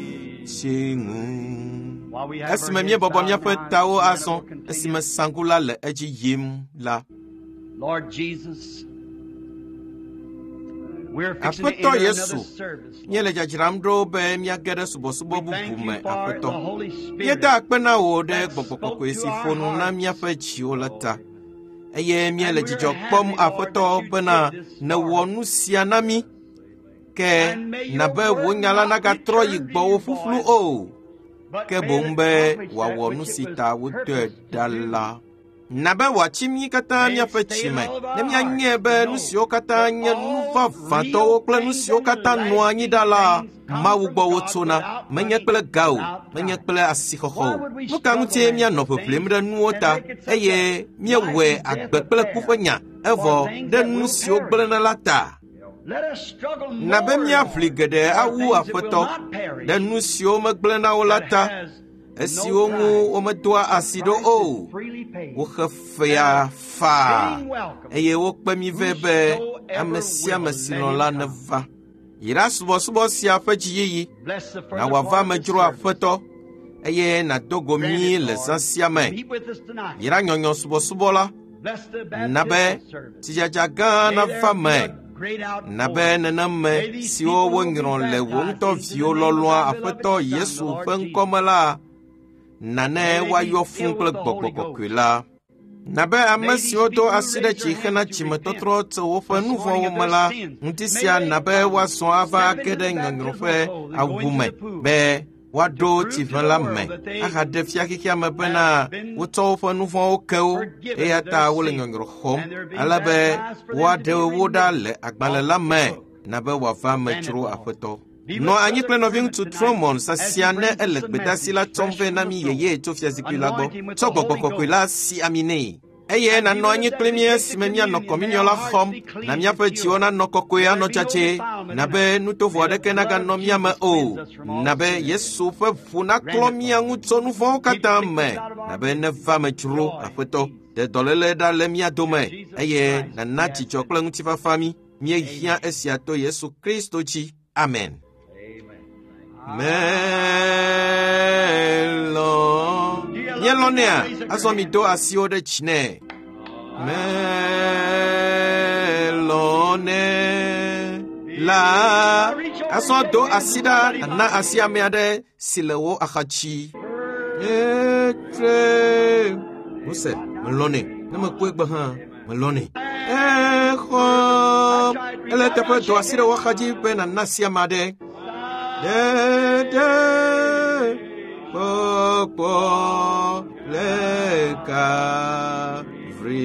tsi ŋu. While we have our Esime heads míebɔbɔ bowed míaƒe now, tawo and azɔ, we'll continue. esime sanku la le edzi yim la. Lord Jesus, we're fixing to Aƒetɔ enter another Yesu, service. Lord. míele dzadzram ɖo be míage ɖe subɔsubɔ We bubu thank me, you for Aƒetɔ. the Holy Míeda Spirit akpe na wò ɖe that gbɔgbɔ spoke kɔkɔe to si our ƒo nu na hearts, míaƒe dziwo la ta. Lord. Eye míele And we're dzidzɔ kpɔm, happy, Lord, Aƒetɔ, that you bena did this nèwɔ for us. nu sia na mí. Ke And may your na be wò word nya la not nagatrɔ yi return to gbɔwò you ƒuƒlu void, o, but ke may boŋ it be accomplish that wòawɔ which nu it si was ta wodɔe purposed to ɖa do. la. Na be wòatsi mí katã May it míaƒe stay dzi in me, all of our ne míanyae hearts be to nu know siwo katã that nye nu all vavãtɔwo real kple nu things siwo and katã nɔa anyi lasting ɖa la, things come Mawu from gbɔ God wotsona, without menye money, kple ga o, without menye price. kple asixɔxɔ Why o. would we Nu ka struggle ŋutie after míanɔ ʋeʋlim things ɖe nuwo and ta make it such eye a life míewɔe and death agbe kple ku affair ƒe nya for evɔ things ɖe that nu will siwo perish? gblẽna la ta? Let us struggle Na be more, míaʋli Lord, geɖe for awu things that will Aƒetɔ not ɖe perish, nu siwo megblẽna o la that ta, has no esiwo ŋu price. womedoa The asi ɖo price is o. freely paid Woxe and fea a faa fitting welcome eye wokpe mí vɛ be whosoever Ame sia ame si lɔ̃ la neva. Yra subɔsubɔ sia ƒe dziyiyi. Na wòava ame dzro Aƒetɔ, eye nàdo go mí le zã sia me. Yra nyɔnyɔ subɔsubɔ la. Na be tsidzadza gã nava me. Na be neneme siwo wonyrɔ le wò ŋutɔ viwo lɔlɔ̃a Aƒetɔ Yesu ƒe ŋkɔme la, na ne woayɔ fũu kple Gbɔgbɔ Kɔkɔe la. Na be ame siwo do asi ɖe dzi hena dzimetɔtrɔ tso woƒe nu vɔ̃wo me la, ŋuti sia na be woazɔ ava age ɖe nyɔnyrɔ ƒe awu me be woaɖo tsiʋẽ la me ahaɖe fia xexea me bena wotsɔ woƒe nu vɔ̃wo ke wo, eya ta wole nyɔnyrɔ xɔm ale be woaɖe wo ɖa le agbalẽ la me na be wòava ame dzro Aƒetɔ. Nɔ anyi kple nɔviŋutsu Tromon sasia ne ele gbedeasi la tsɔm vɛ na mí yeye tso fiazikpui la gbɔ. Tsɔ Gbɔgbɔ Kɔkɔe la si ami nɛ. Eye nànɔ anyi kpli mí esime míanɔ kɔminiɔ la xɔm, na míaƒe dziwo nanɔ kɔkɔe anɔ dzadzɛ, na be nutovo aɖeke naganɔ mía me o, na be Yesu ƒe ʋu naklɔ mía ŋu tso nu vɔ̃wo katã me, na be neva me dzro Aƒetɔ. Ɖe dɔléle ɖa le mía dome, eye nàna dzidzɔ kple ŋutifafa mí. Míehiã esia to Yesu Kristo dzi. Amen. Melɔ. Míelɔ̃nɛa? Azɔ mido asiwo ɖe dzi nɛ. Melɔ̃nɛ la. Azɔ do asi ɖa nàna asi ame aɖe si le wò axadzi. Etre. Mose, melɔ̃nɛ. Ne mekpɔe gbe hã, melɔ̃nɛ. Exɔ. Ele teƒe do asi ɖe wò axadzi be nàna asi ame aɖe. Ɖeɖe kpɔkpɔ le Kalvari.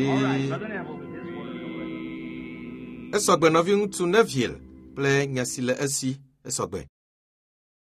Esɔgbe nɔviŋutsu Neville kple nya si le esi. Esɔgbe.